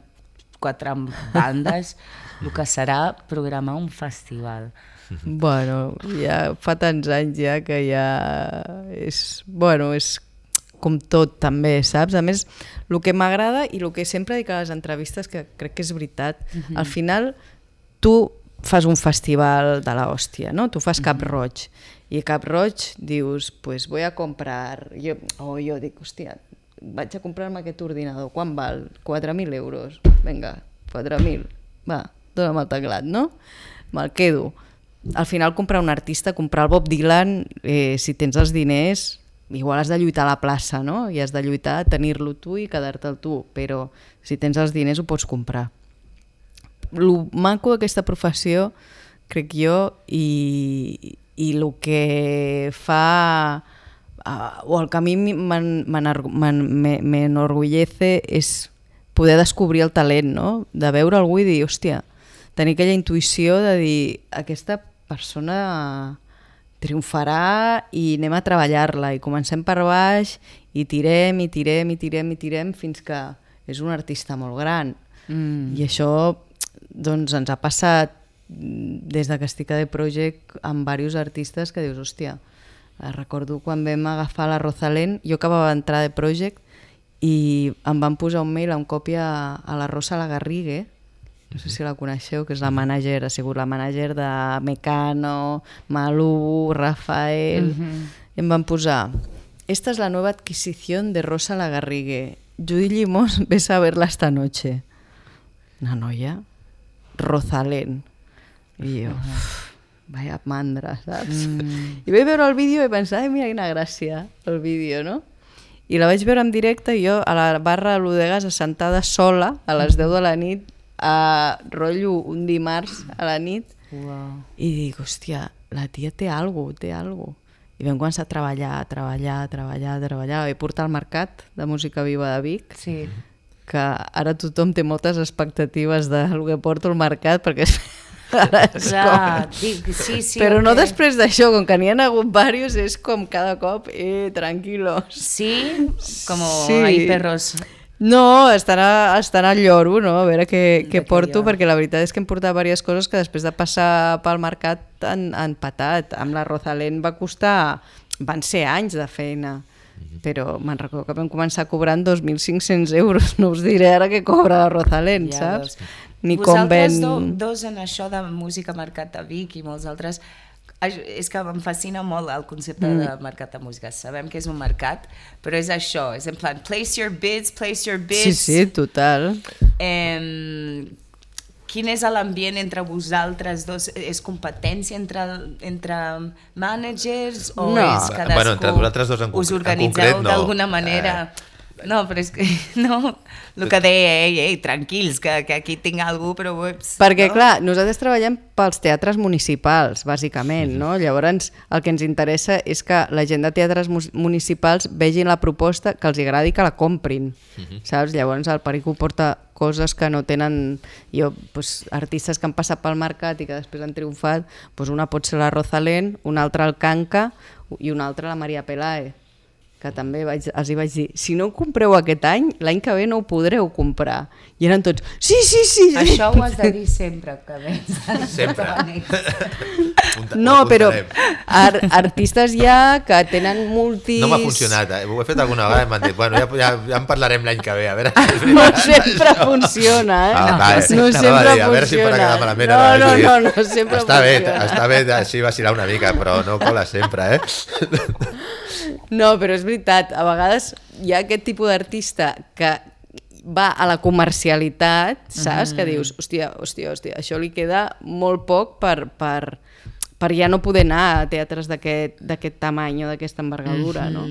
4 bandes, el que serà programar un festival. Bueno, ja fa tants anys ja que ja és... Bueno, és com tot també, saps? A més, el que m'agrada i el que sempre dic a les entrevistes, que crec que és veritat, al final tu fas un festival de l'hòstia, no? Tu fas Cap Roig, i a Cap Roig dius, pues voy a comprar... Jo dic, hòstia, vaig a comprar-me aquest ordinador, quan val? 4.000 euros. Vinga, 4.000. Va, dona'm el teclat, no? Me'l quedo. Al final comprar un artista, comprar el Bob Dylan, si tens els diners... Igual has de lluitar a la plaça, no? I has de lluitar a tenir-lo tu i quedar-te'l tu, però si tens els diners ho pots comprar. El maco d'aquesta professió, crec jo, i el que fa, o el que a mi m'enorgullece és poder descobrir el talent, no? De veure algú i dir, hòstia, tenir aquella intuïció de dir, aquesta persona... triomfarà i anem a treballar-la i comencem per baix i tirem fins que és un artista molt gran. I això doncs, ens ha passat des que estic a The Project amb diversos artistes que dius, hòstia, recordo quan vam agafar la Rosalén, jo acabava d'entrar a The Project i em van posar un mail amb còpia a la Rosa Lagarrigue no sé si la coneixeu, que és la mànager, ha sigut la mànager de Mecano, Malú, Rafael, i em van posar: esta es la nueva adquisición de Rosa Lagarrigue. Judy Limós, ves a verla esta noche. Una noia, Rosalén. I jo, vaya mandra, saps? I vaig veure el vídeo i pensar, ai, mira quina gràcia, el vídeo, no? I la vaig veure en directe i jo a la barra de l'Udegas assentada sola a les 10 de la nit, a rotllo un dimarts a la nit, i dic, hòstia, la tia té alguna cosa. I vam començar a treballar. Vaig portar al Mercat de Música Viva de Vic, que ara tothom té moltes expectatives del que porto al Mercat, perquè ara és com... Però no després d'això, com que n'hi ha hagut diversos, és com cada cop, tranquilos. Sí? Com hay perros... No, estan al lloro, no? A veure què porto, perquè la veritat és que hem portat diverses coses que després de passar pel mercat han patat. Amb la Rosalén va costar... Van ser anys de feina, però me'n recordo que vam començar cobrant 2.500 euros. No us diré ara què cobra la Rosalén, saps? Ni com ven... Vosaltres dos en això de música Mercat de Vic i molts altres... És que em fascina molt el concepte de mercat de música. Sabem que és un mercat, però és això, és en plan place your bids. Sí, total. Quin és l'ambient entre vosaltres dos? És competència entre managers o és cadascú? Bueno, entre vosaltres dos us organitzeu d'alguna manera? No, però és que no, el que deia, ei, tranquils, que aquí tinc algú, però... Perquè, clar, nosaltres treballem pels teatres municipals, bàsicament, no? Llavors, el que ens interessa és que la gent de teatres municipals vegin la proposta, que els agradi, que la comprin, saps? Llavors, el Perico porta coses que no tenen... artistes que han passat pel mercat i que després han triomfat, una pot ser la Rosalén, una altra el Kanka i una altra la Maria Pelae, que també els hi vaig dir, si no ho compreu aquest any, l'any que ve no ho podreu comprar. I eren tots, sí. Això ho has de dir sempre, que vens. Sempre. No, però artistes ja que tenen multis... No m'ha funcionat, ho he fet alguna vegada i m'han dit, bueno, ja en parlarem l'any que ve, a veure... No sempre funciona, No sempre funciona. A veure si em farà quedar malament. No, sempre funciona. Està bé així vacilar una mica, però no cola sempre, No, però és veritat, a vegades hi ha aquest tipus d'artista que va a la comercialitat, saps? Que dius, hòstia, això li queda molt poc per ja no poder anar a teatres d'aquest tamany o d'aquesta envergadura, no?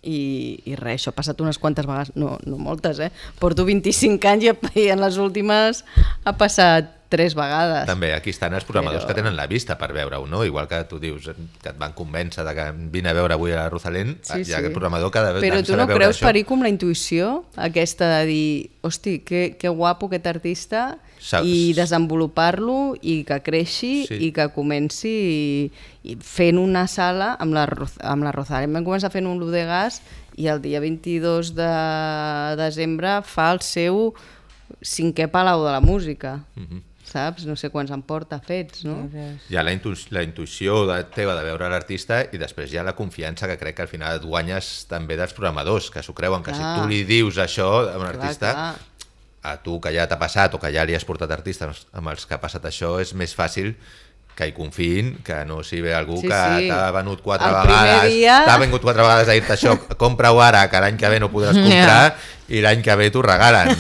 I res, això ha passat unes quantes vegades, no moltes, Porto 25 anys i en les últimes ha passat 3 vegades. També, aquí estan els programadors que tenen la vista per veure-ho, no? Igual que tu dius que et van convèncer de que vine a veure avui a Rosalén, hi ha aquest programador que ha de Però tu no creus, Perico, amb la intuïció aquesta de dir, hosti, que guapo aquest artista, i desenvolupar-lo i que creixi i que comenci fent una sala amb la Rosalén. Vam començar fent un l'Udegas i el dia 22 de desembre fa el seu 5è Palau de la Música. Saps? No sé quants en porta fets, no? Hi ha la intuïció teva de veure l'artista i després hi ha la confiança que crec que al final et guanyes també dels programadors, que s'ho creuen, que si tu li dius això a un artista, a tu que ja t'ha passat o que ja li has portat artistes amb els que ha passat això, és més fàcil que hi confiïn, que no si ve algú que t'ha venut 4 vegades, t'ha vengut 4 vegades a dir-te això, compra-ho ara, que l'any que ve no podràs comprar i l'any que ve t'ho regalen.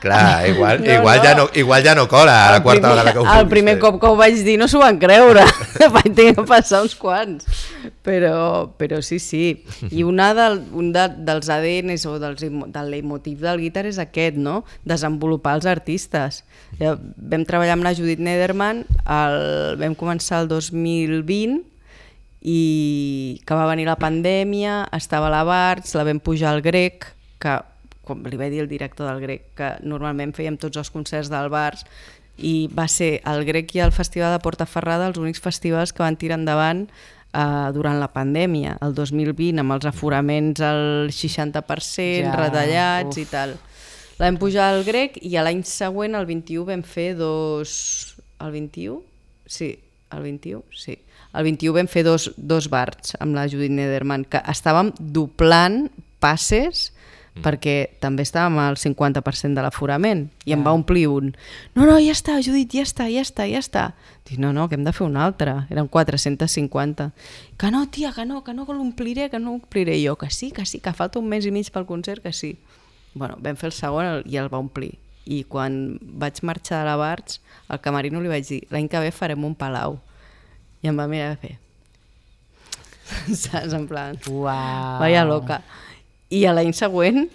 Clar, igual ja no cola a la quarta vegada que ho fem. El primer cop que ho vaig dir no s'ho van creure, vaig tenir que passar uns quants, però sí. I un dels ADNs o del leitmotiv del Guitar és aquest, no? Desenvolupar els artistes. Vam treballar amb la Judith Nederman, vam començar el 2020 i que va venir la pandèmia, estava a la Barts, la vam pujar al Grec, que com li vaig dir el director del Grec, que normalment fèiem tots els concerts del Barts, i va ser el Grec i el Festival de Portaferrada els únics festivals que van tirar endavant durant la pandèmia, el 2020, amb els aforaments al 60%, retallats i tal. La vam pujar al Grec i l'any següent, el 21, vam fer El 21? Sí, el 21, sí. El 21 vam fer dos Barts amb la Judith Nederman, que estàvem doblant passes perquè també estàvem al 50% de l'aforament i em va omplir un no, ja està, Judit, ja està. Dic, no, que hem de fer un altre. Eren 450. Que no, tia, que no l'ompliré, I jo, que sí, que falta un mes i mig pel concert, que sí. Bueno, vam fer el segon i el va omplir. I quan vaig marxar de la Barts, al camerino li vaig dir, l'any que ve farem un palau. I em va mirar a fer. Saps, en plan... Uau! Vaya loca. I a l'any següent,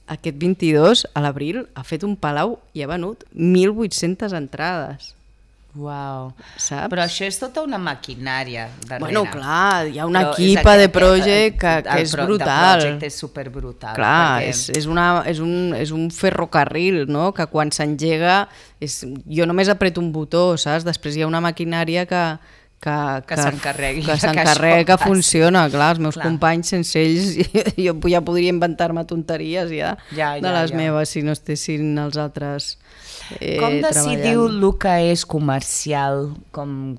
aquest 22, a l'abril, ha fet un palau i ha venut 1.800 entrades. Uau. Saps? Però això és tota una maquinària darrere. Bueno, clar, hi ha una equipa de project que és brutal. El projecte és superbrutal. Clar, perquè... és un ferrocarril, no? Que quan s'engega, jo només apreto un botó, saps? Després hi ha una maquinària que s'encarrega, que funciona. Clar, els meus companys, sense ells, jo ja podria inventar-me tonteries de les meves si no estessin els altres com decidiu el que és comercial com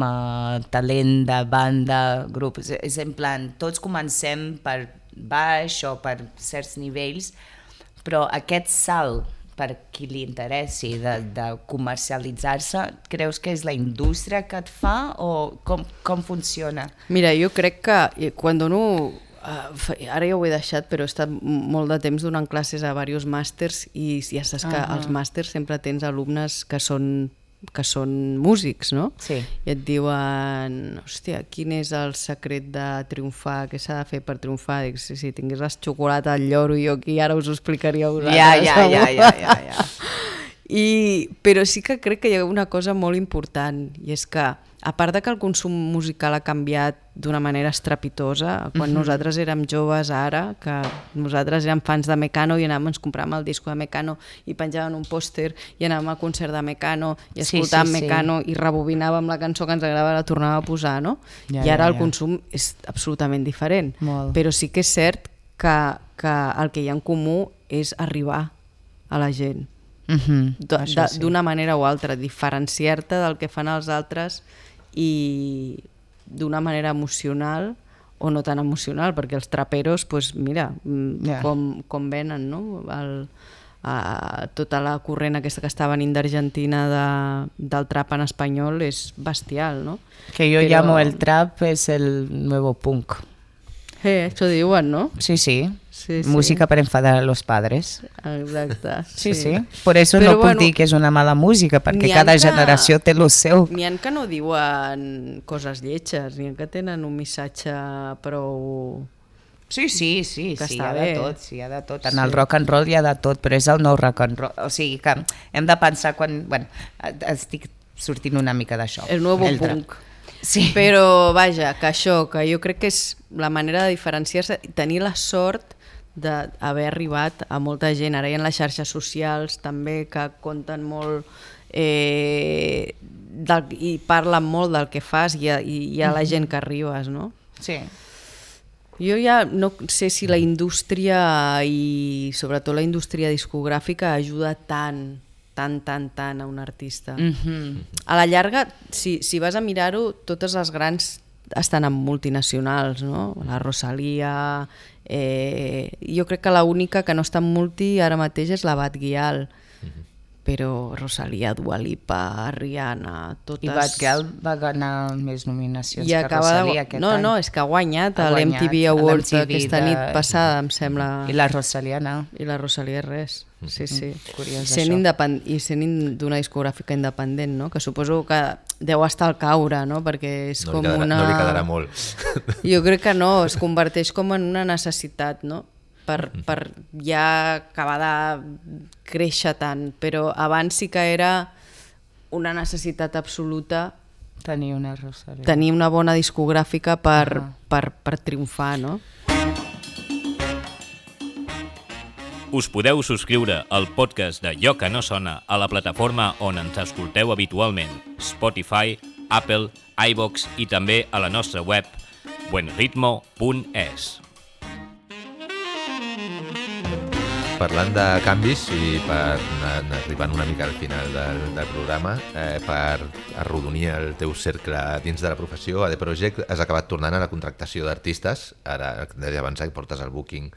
a talent de banda, grup? És en plan, tots comencem per baix o per certs nivells, però aquest salt per qui li interessi de comercialitzar-se, creus que és la indústria que et fa o com funciona? Mira, jo crec que quan dono... ara ja ho he deixat, però he estat molt de temps donant classes a diversos màsters i ja saps que als màsters sempre tens alumnes que són músics, no? Sí. I et diuen, hòstia, quin és el secret de triomfar, què s'ha de fer per triomfar? Dic, si tingués la xocolata al lloro, jo aquí ara us ho explicaria a vosaltres. Ja. Però sí que crec que hi ha una cosa molt important, i és que, a part de que el consum musical ha canviat d'una manera estrepitosa, quan nosaltres érem joves ara, que nosaltres érem fans de Mecano i ens compràvem el disco de Mecano i penjàvem un pòster i anàvem al concert de Mecano i escoltàvem Mecano i rebobinàvem la cançó que ens agradava i la tornàvem a posar, no? I ara el consum és absolutament diferent. Però sí que és cert que el que hi ha en comú és arribar a la gent. D'una manera o altra, diferenciar-te del que fan els altres i d'una manera emocional o no tan emocional, perquè els traperos, pues mira, com venen, no? Tota la corrent aquesta que està venint d'Argentina del trap en espanyol és bestial, no? Que jo llamo el trap es el nuevo punk. Això diuen, ¿no? Sí. Música para enfadar a los padres. Exacte. Sí. Por eso no puc dir que és una mala música, perquè cada generació té lo seu. N'hi ha que no diuen coses lletges, n'hi ha que tenen un missatge prou... Sí, hi ha de tot. En el rock and roll hi ha de tot, però és el nou rock and roll. O sigui que hem de pensar quan... Bueno, estic sortint una mica d'això. El nou punk. Sí. Però vaja, que això, que jo crec que és la manera de diferenciar-se, tenir la sort d'haver arribat a molta gent. Ara hi ha les xarxes socials també que compten molt i parlen molt del que fas i hi ha la gent que arribes, no? Sí. Jo ja no sé si la indústria i sobretot la indústria discogràfica ajuda tant a un artista. A la llarga, si vas a mirar-ho, totes les grans estan en multinacionals, no? La Rosalía... jo crec que l'única que no està en multi ara mateix és la Bad Gyal, però Rosalía, Dua Lipa, Rihanna, totes... I Bad Gyal va ganar més nominacions que Rosalía aquest any. No, és que ha guanyat a l'MTV Awards aquesta nit passada, em sembla. I la Rosalía no. I la Rosalía res, sí. Curiós I sent d'una discogràfica independent, no? Que suposo que deu estar al caure, no? Perquè és com una... No li quedarà molt. Jo crec que no, es converteix com en una necessitat, no? Per ja acabar de créixer tant, però abans sí que era una necessitat absoluta tenir una Rosalía. Tenir una bona discogràfica per triomfar, no? Us podeu subscriure al podcast de Jo que no sona a la plataforma on ens escolteu habitualment, Spotify, Apple, iVoox i també a la nostra web buenritmo.es. Parlant de canvis i per anar arribant una mica al final del programa, per arrodonir el teu cercle dins de la professió, AD Project has acabat tornant a la contractació d'artistes. Ara, deia abans que portes el booking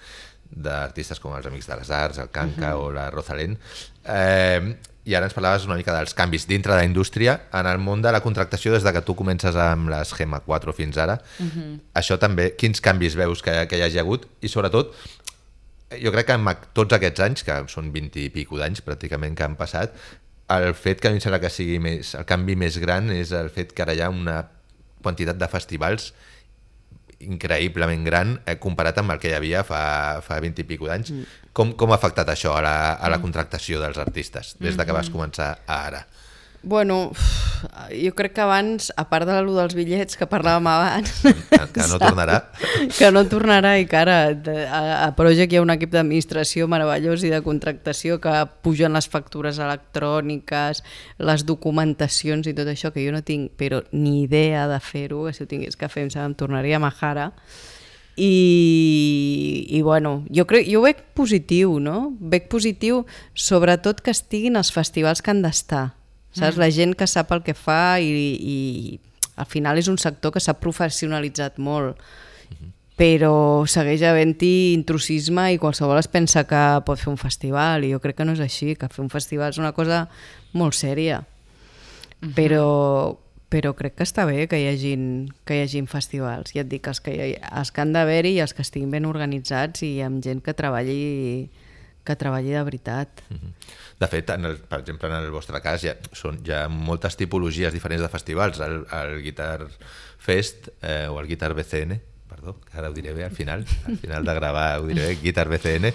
d'artistes com els Amics de les Arts, el Kanka o la Rosalén. I ara ens parlaves una mica dels canvis dintre de la indústria en el món de la contractació des de que tu comences amb les Gemma 4 fins ara. Això també, quins canvis veus que hi hagi hagut? I sobretot, jo crec que amb tots aquests anys, que són 20 i pico d'anys pràcticament que han passat, el fet que a mi em sembla que sigui més, el canvi més gran és el fet que ara hi ha una quantitat de festivals increïblement gran comparat amb el que hi havia fa 20 i pico d'anys. Com ha afectat això a la contractació dels artistes des de que vas començar a ara? Bueno, jo crec que abans, a part de lo dels bitllets que parlàvem abans... Que no tornarà. Que no tornarà i que ara a Project hi ha un equip d'administració meravellós i de contractació que pugen les factures electròniques, les documentacions i tot això, que jo no tinc però ni idea de fer-ho, que si ho tingués que fer em tornaria majara. I bueno, jo ho veig positiu, no? Veig positiu sobretot que estiguin els festivals que han d'estar. Saps? La gent que sap el que fa i al final és un sector que s'ha professionalitzat molt, però segueix havent-hi intrusisme i qualsevol es pensa que pot fer un festival i jo crec que no és així, que fer un festival és una cosa molt sèria, però crec que està bé que hi hagin festivals. Ja et dic, els que han d'haver-hi i els que estiguin ben organitzats i amb gent que treballi de veritat. De fet, per exemple, en el vostre cas hi ha moltes tipologies diferents de festivals. El Guitar Fest o el Guitar BCN, perdó, que ara ho diré bé al final de gravar ho diré bé, Guitar BCN,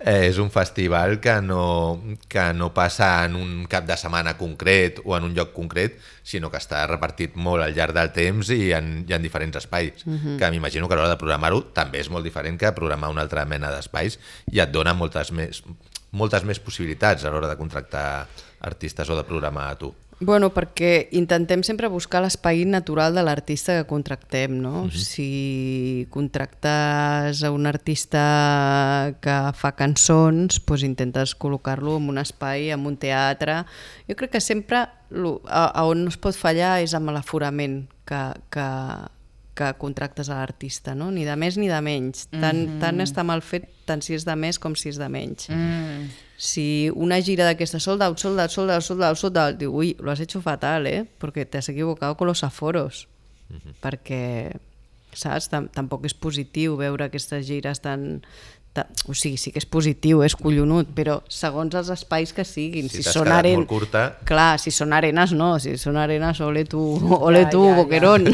és un festival que no passa en un cap de setmana concret o en un lloc concret, sinó que està repartit molt al llarg del temps i en diferents espais, que m'imagino que a l'hora de programar-ho també és molt diferent que programar una altra mena d'espais i et dona moltes més possibilitats a l'hora de contractar artistes o de programar a tu. Bueno, perquè intentem sempre buscar l'espai natural de l'artista que contractem, no? Si contractes a un artista que fa cançons, doncs intentes col·locar-lo en un espai, en un teatre. Jo crec que sempre on no es pot fallar és amb l'aforament que contractes a l'artista, no? Ni de més ni de menys. Tant està mal fet, tant si és de més com si és de menys. Si una gira d'aquesta sold out, diu, ui, lo has hecho fatal, porque te has equivocado con los aforos. Perquè, saps, tampoc és positiu veure aquestes gires tan... O sigui, sí que és positiu, és collonut, però segons els espais que siguin. Si t'has quedat molt curta... Clar, si són arenes no, si són arenes ole tu, boquerón.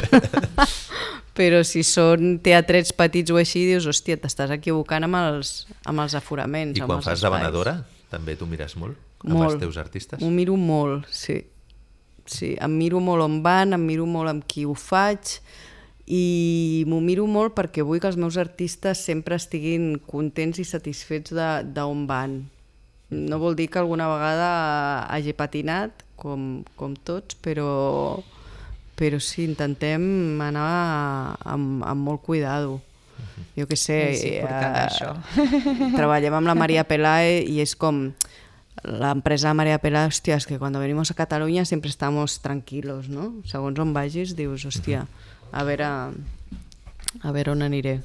Però si són teatrets petits o així, dius, hòstia, t'estàs equivocant amb els aforaments. I quan fas de venedora, també tu mires molt amb els teus artistes? M'ho miro molt, sí. Em miro molt on van, em miro molt amb qui ho faig i m'ho miro molt perquè vull que els meus artistes sempre estiguin contents i satisfets d'on van. No vol dir que alguna vegada hagi patinat, com tots, però sí, intentem anar amb molt cuidado. Jo què sé, treballem amb la María Pelae i és com la empresa de María Pelae, hòstia, és que quan venimos a Catalunya sempre estamos tranquilos, no? Segons on vagis dius, hòstia, a veure on aniré.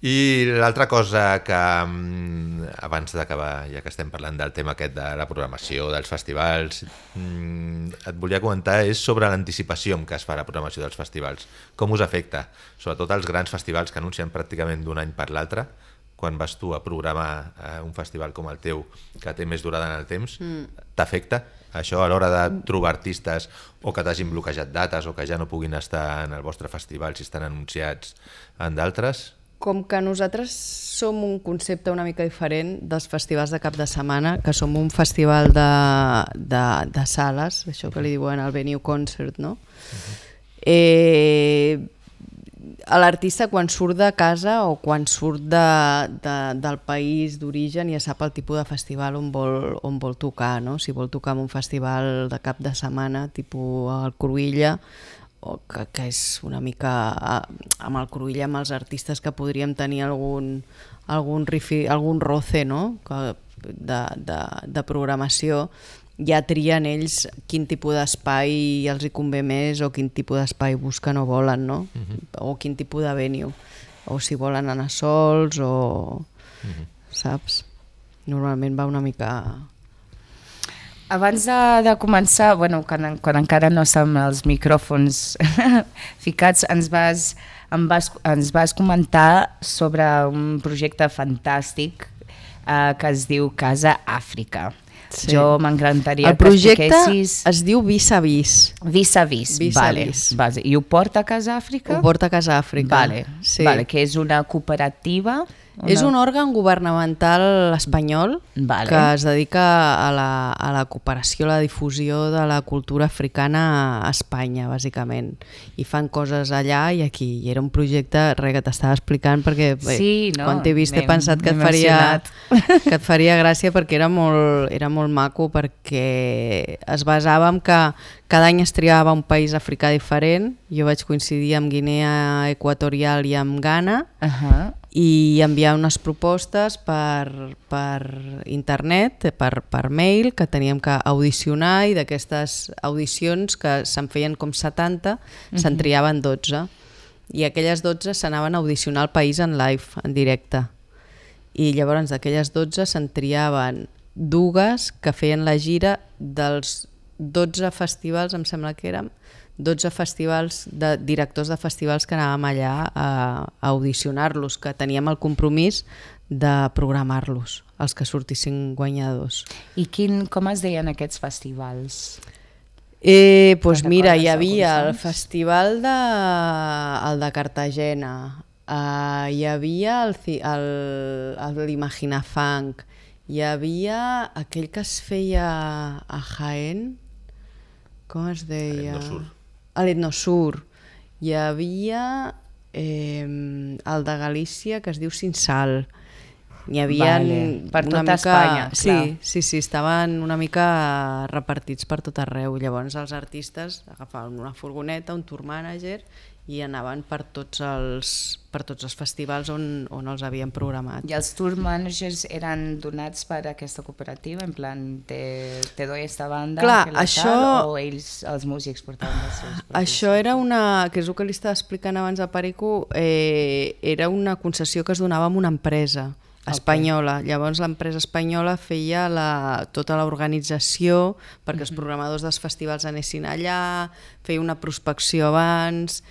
I l'altra cosa que, abans d'acabar, ja que estem parlant del tema aquest de la programació, dels festivals, et volia comentar és sobre l'anticipació amb què es fa la programació dels festivals. Com us afecta? Sobretot els grans festivals que anuncien pràcticament d'un any per l'altre, quan vas tu a programar un festival com el teu, que té més durada en el temps, t'afecta això a l'hora de trobar artistes o que t'hagin bloquejat dates o que ja no puguin estar en el vostre festival si estan anunciats en d'altres? Com que nosaltres som un concepte una mica diferent dels festivals de cap de setmana, que som un festival de sales, això que li diuen el venue concert, no? L'artista quan surt de casa o quan surt del país d'origen ja sap el tipus de festival on vol tocar, no? Si vol tocar en un festival de cap de setmana, tipus el Cruïlla, que és una mica amb el cruïll amb els artistes que podríem tenir algun roce, no? de programació, ja trien ells quin tipus d'espai els hi convé més o quin tipus d'espai busquen o volen, no? O quin tipus de venue, o si volen anar sols o... saps? Normalment va una mica... Abans de començar, bueno, quan encara no som els micròfons ficats, ens vas comentar sobre un projecte fantàstic que es diu Casa Àfrica. Sí. Jo m'encantaria que expliquessis... El projecte es diu Vis a Vis. Vis a Vis, vale. I ho porta a Casa Àfrica? Ho porta a Casa Àfrica. Vale, sí. Vale, que és una cooperativa... És un òrgan governamental espanyol que es dedica a la cooperació, a la difusió de la cultura africana a Espanya, bàsicament. I fan coses allà i aquí. I era un projecte, que t'estava explicant, perquè quan t'he vist he pensat que et faria gràcia, perquè era molt maco, perquè es basava en que cada any es triava un país africà diferent. Jo vaig coincidir amb Guinea Equatorial i amb Ghana, i enviar unes propostes per internet, per mail, que teníem que audicionar, i d'aquestes audicions, que se'n feien com 70, se'n triaven 12. I aquelles 12 s'anaven a audicionar al país en live, en directe. I llavors d'aquelles 12 se'n triaven dues que feien la gira dels 12 festivals, em sembla que érem, 12 festivals, de directors de festivals que anàvem allà a audicionar-los, que teníem el compromís de programar-los, els que sortissin guanyadors. I com es deien aquests festivals? Doncs mira, hi havia el festival de Cartagena, hi havia l'Imaginafunk, hi havia aquell que es feia a Jaén, com es deia? A l'Etnosur. Hi havia el de Galícia, que es diu Cinsal. N'hi havia per tota Espanya. Sí, estaven una mica repartits per tot arreu. Llavors els artistes agafaven una furgoneta, un tour manager, i anaven per tots els festivals on els havien programat. I els tour managers eren donats per aquesta cooperativa? En plan, te doy esta banda, o ells, els músics, portaven els seus propis? Això era que és el que li estava explicant abans a Perico, era una concessió que es donava a una empresa espanyola. Llavors l'empresa espanyola feia tota l'organització perquè els programadors dels festivals anessin allà, feia una prospecció abans,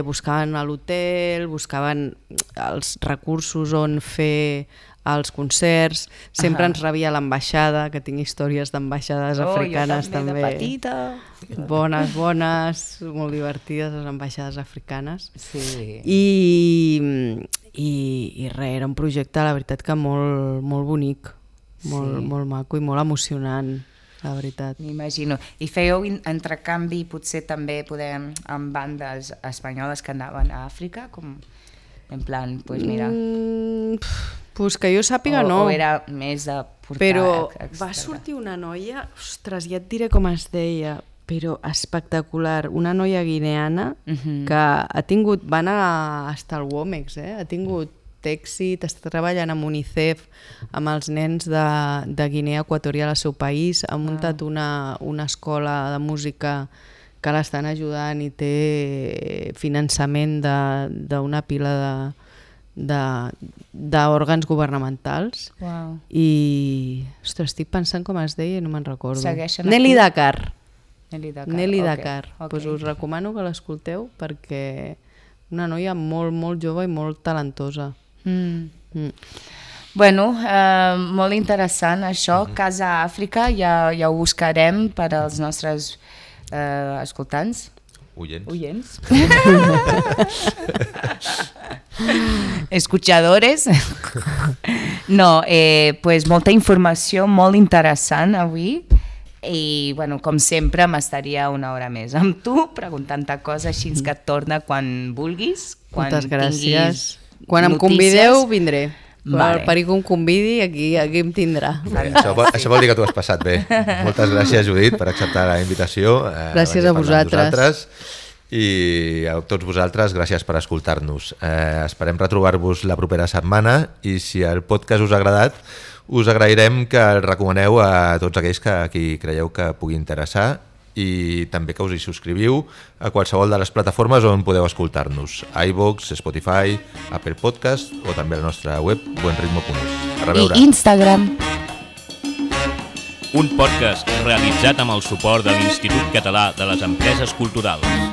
buscaven a l'hotel, buscaven els recursos on fer els concerts, sempre ens rebia l'ambaixada, que tinc històries d'ambaixades africanes també. De petita. Bones, molt divertides les ambaixades africanes. Sí. I res, era un projecte, la veritat, que molt bonic, molt maco i molt emocionant, la veritat. M'imagino. I fèieu entrecanvi potser també amb bandes espanyoles que anaven a Àfrica? Com en plan, doncs mira... Pues que jo sàpiga no. O era més de portar... Però va sortir una noia, ostres, ja et diré com es deia, però espectacular, una noia guineana que ha tingut, va anar fins al Womex, ha tingut èxit, està treballant amb UNICEF, amb els nens de Guinea Equatorial al seu país, ha muntat una escola de música que l'estan ajudant i té finançament d'una pila d'òrgans governamentals. I ostres, estic pensant com es deia i no me'n recordo. Nelly Dakar. Nelly Dakar. Pues us recomano que l'escolteu perquè una noia molt, molt jove i molt talentosa. Bueno, molt interessant això. Casa Àfrica, ja ho buscarem per als nostres escoltants. Oyents. Escuchadores. No, pues molta informació molt interessant avui. I, bueno, com sempre, m'estaria una hora més amb tu, preguntant-te coses així que et torna quan vulguis. Moltes gràcies. Quan em convideu, vindré. Quan el Perico em convidi, aquí em tindrà. Això vol dir que tu has passat bé. Moltes gràcies, Judit, per acceptar la invitació. Gràcies a vosaltres. i a tots vosaltres, gràcies per escoltar-nos. Esperem retrobar-vos la propera setmana i si el podcast us ha agradat, us agrairem que el recomaneu a tots aquells que qui creieu que pugui interessar i també que us hi subscriviu a qualsevol de les plataformes on podeu escoltar-nos. iVoox, Spotify, Apple Podcast o també a la nostra web buenritmo.es. A reveure. I Instagram. Un podcast realitzat amb el suport de l'Institut Català de les Empreses Culturals.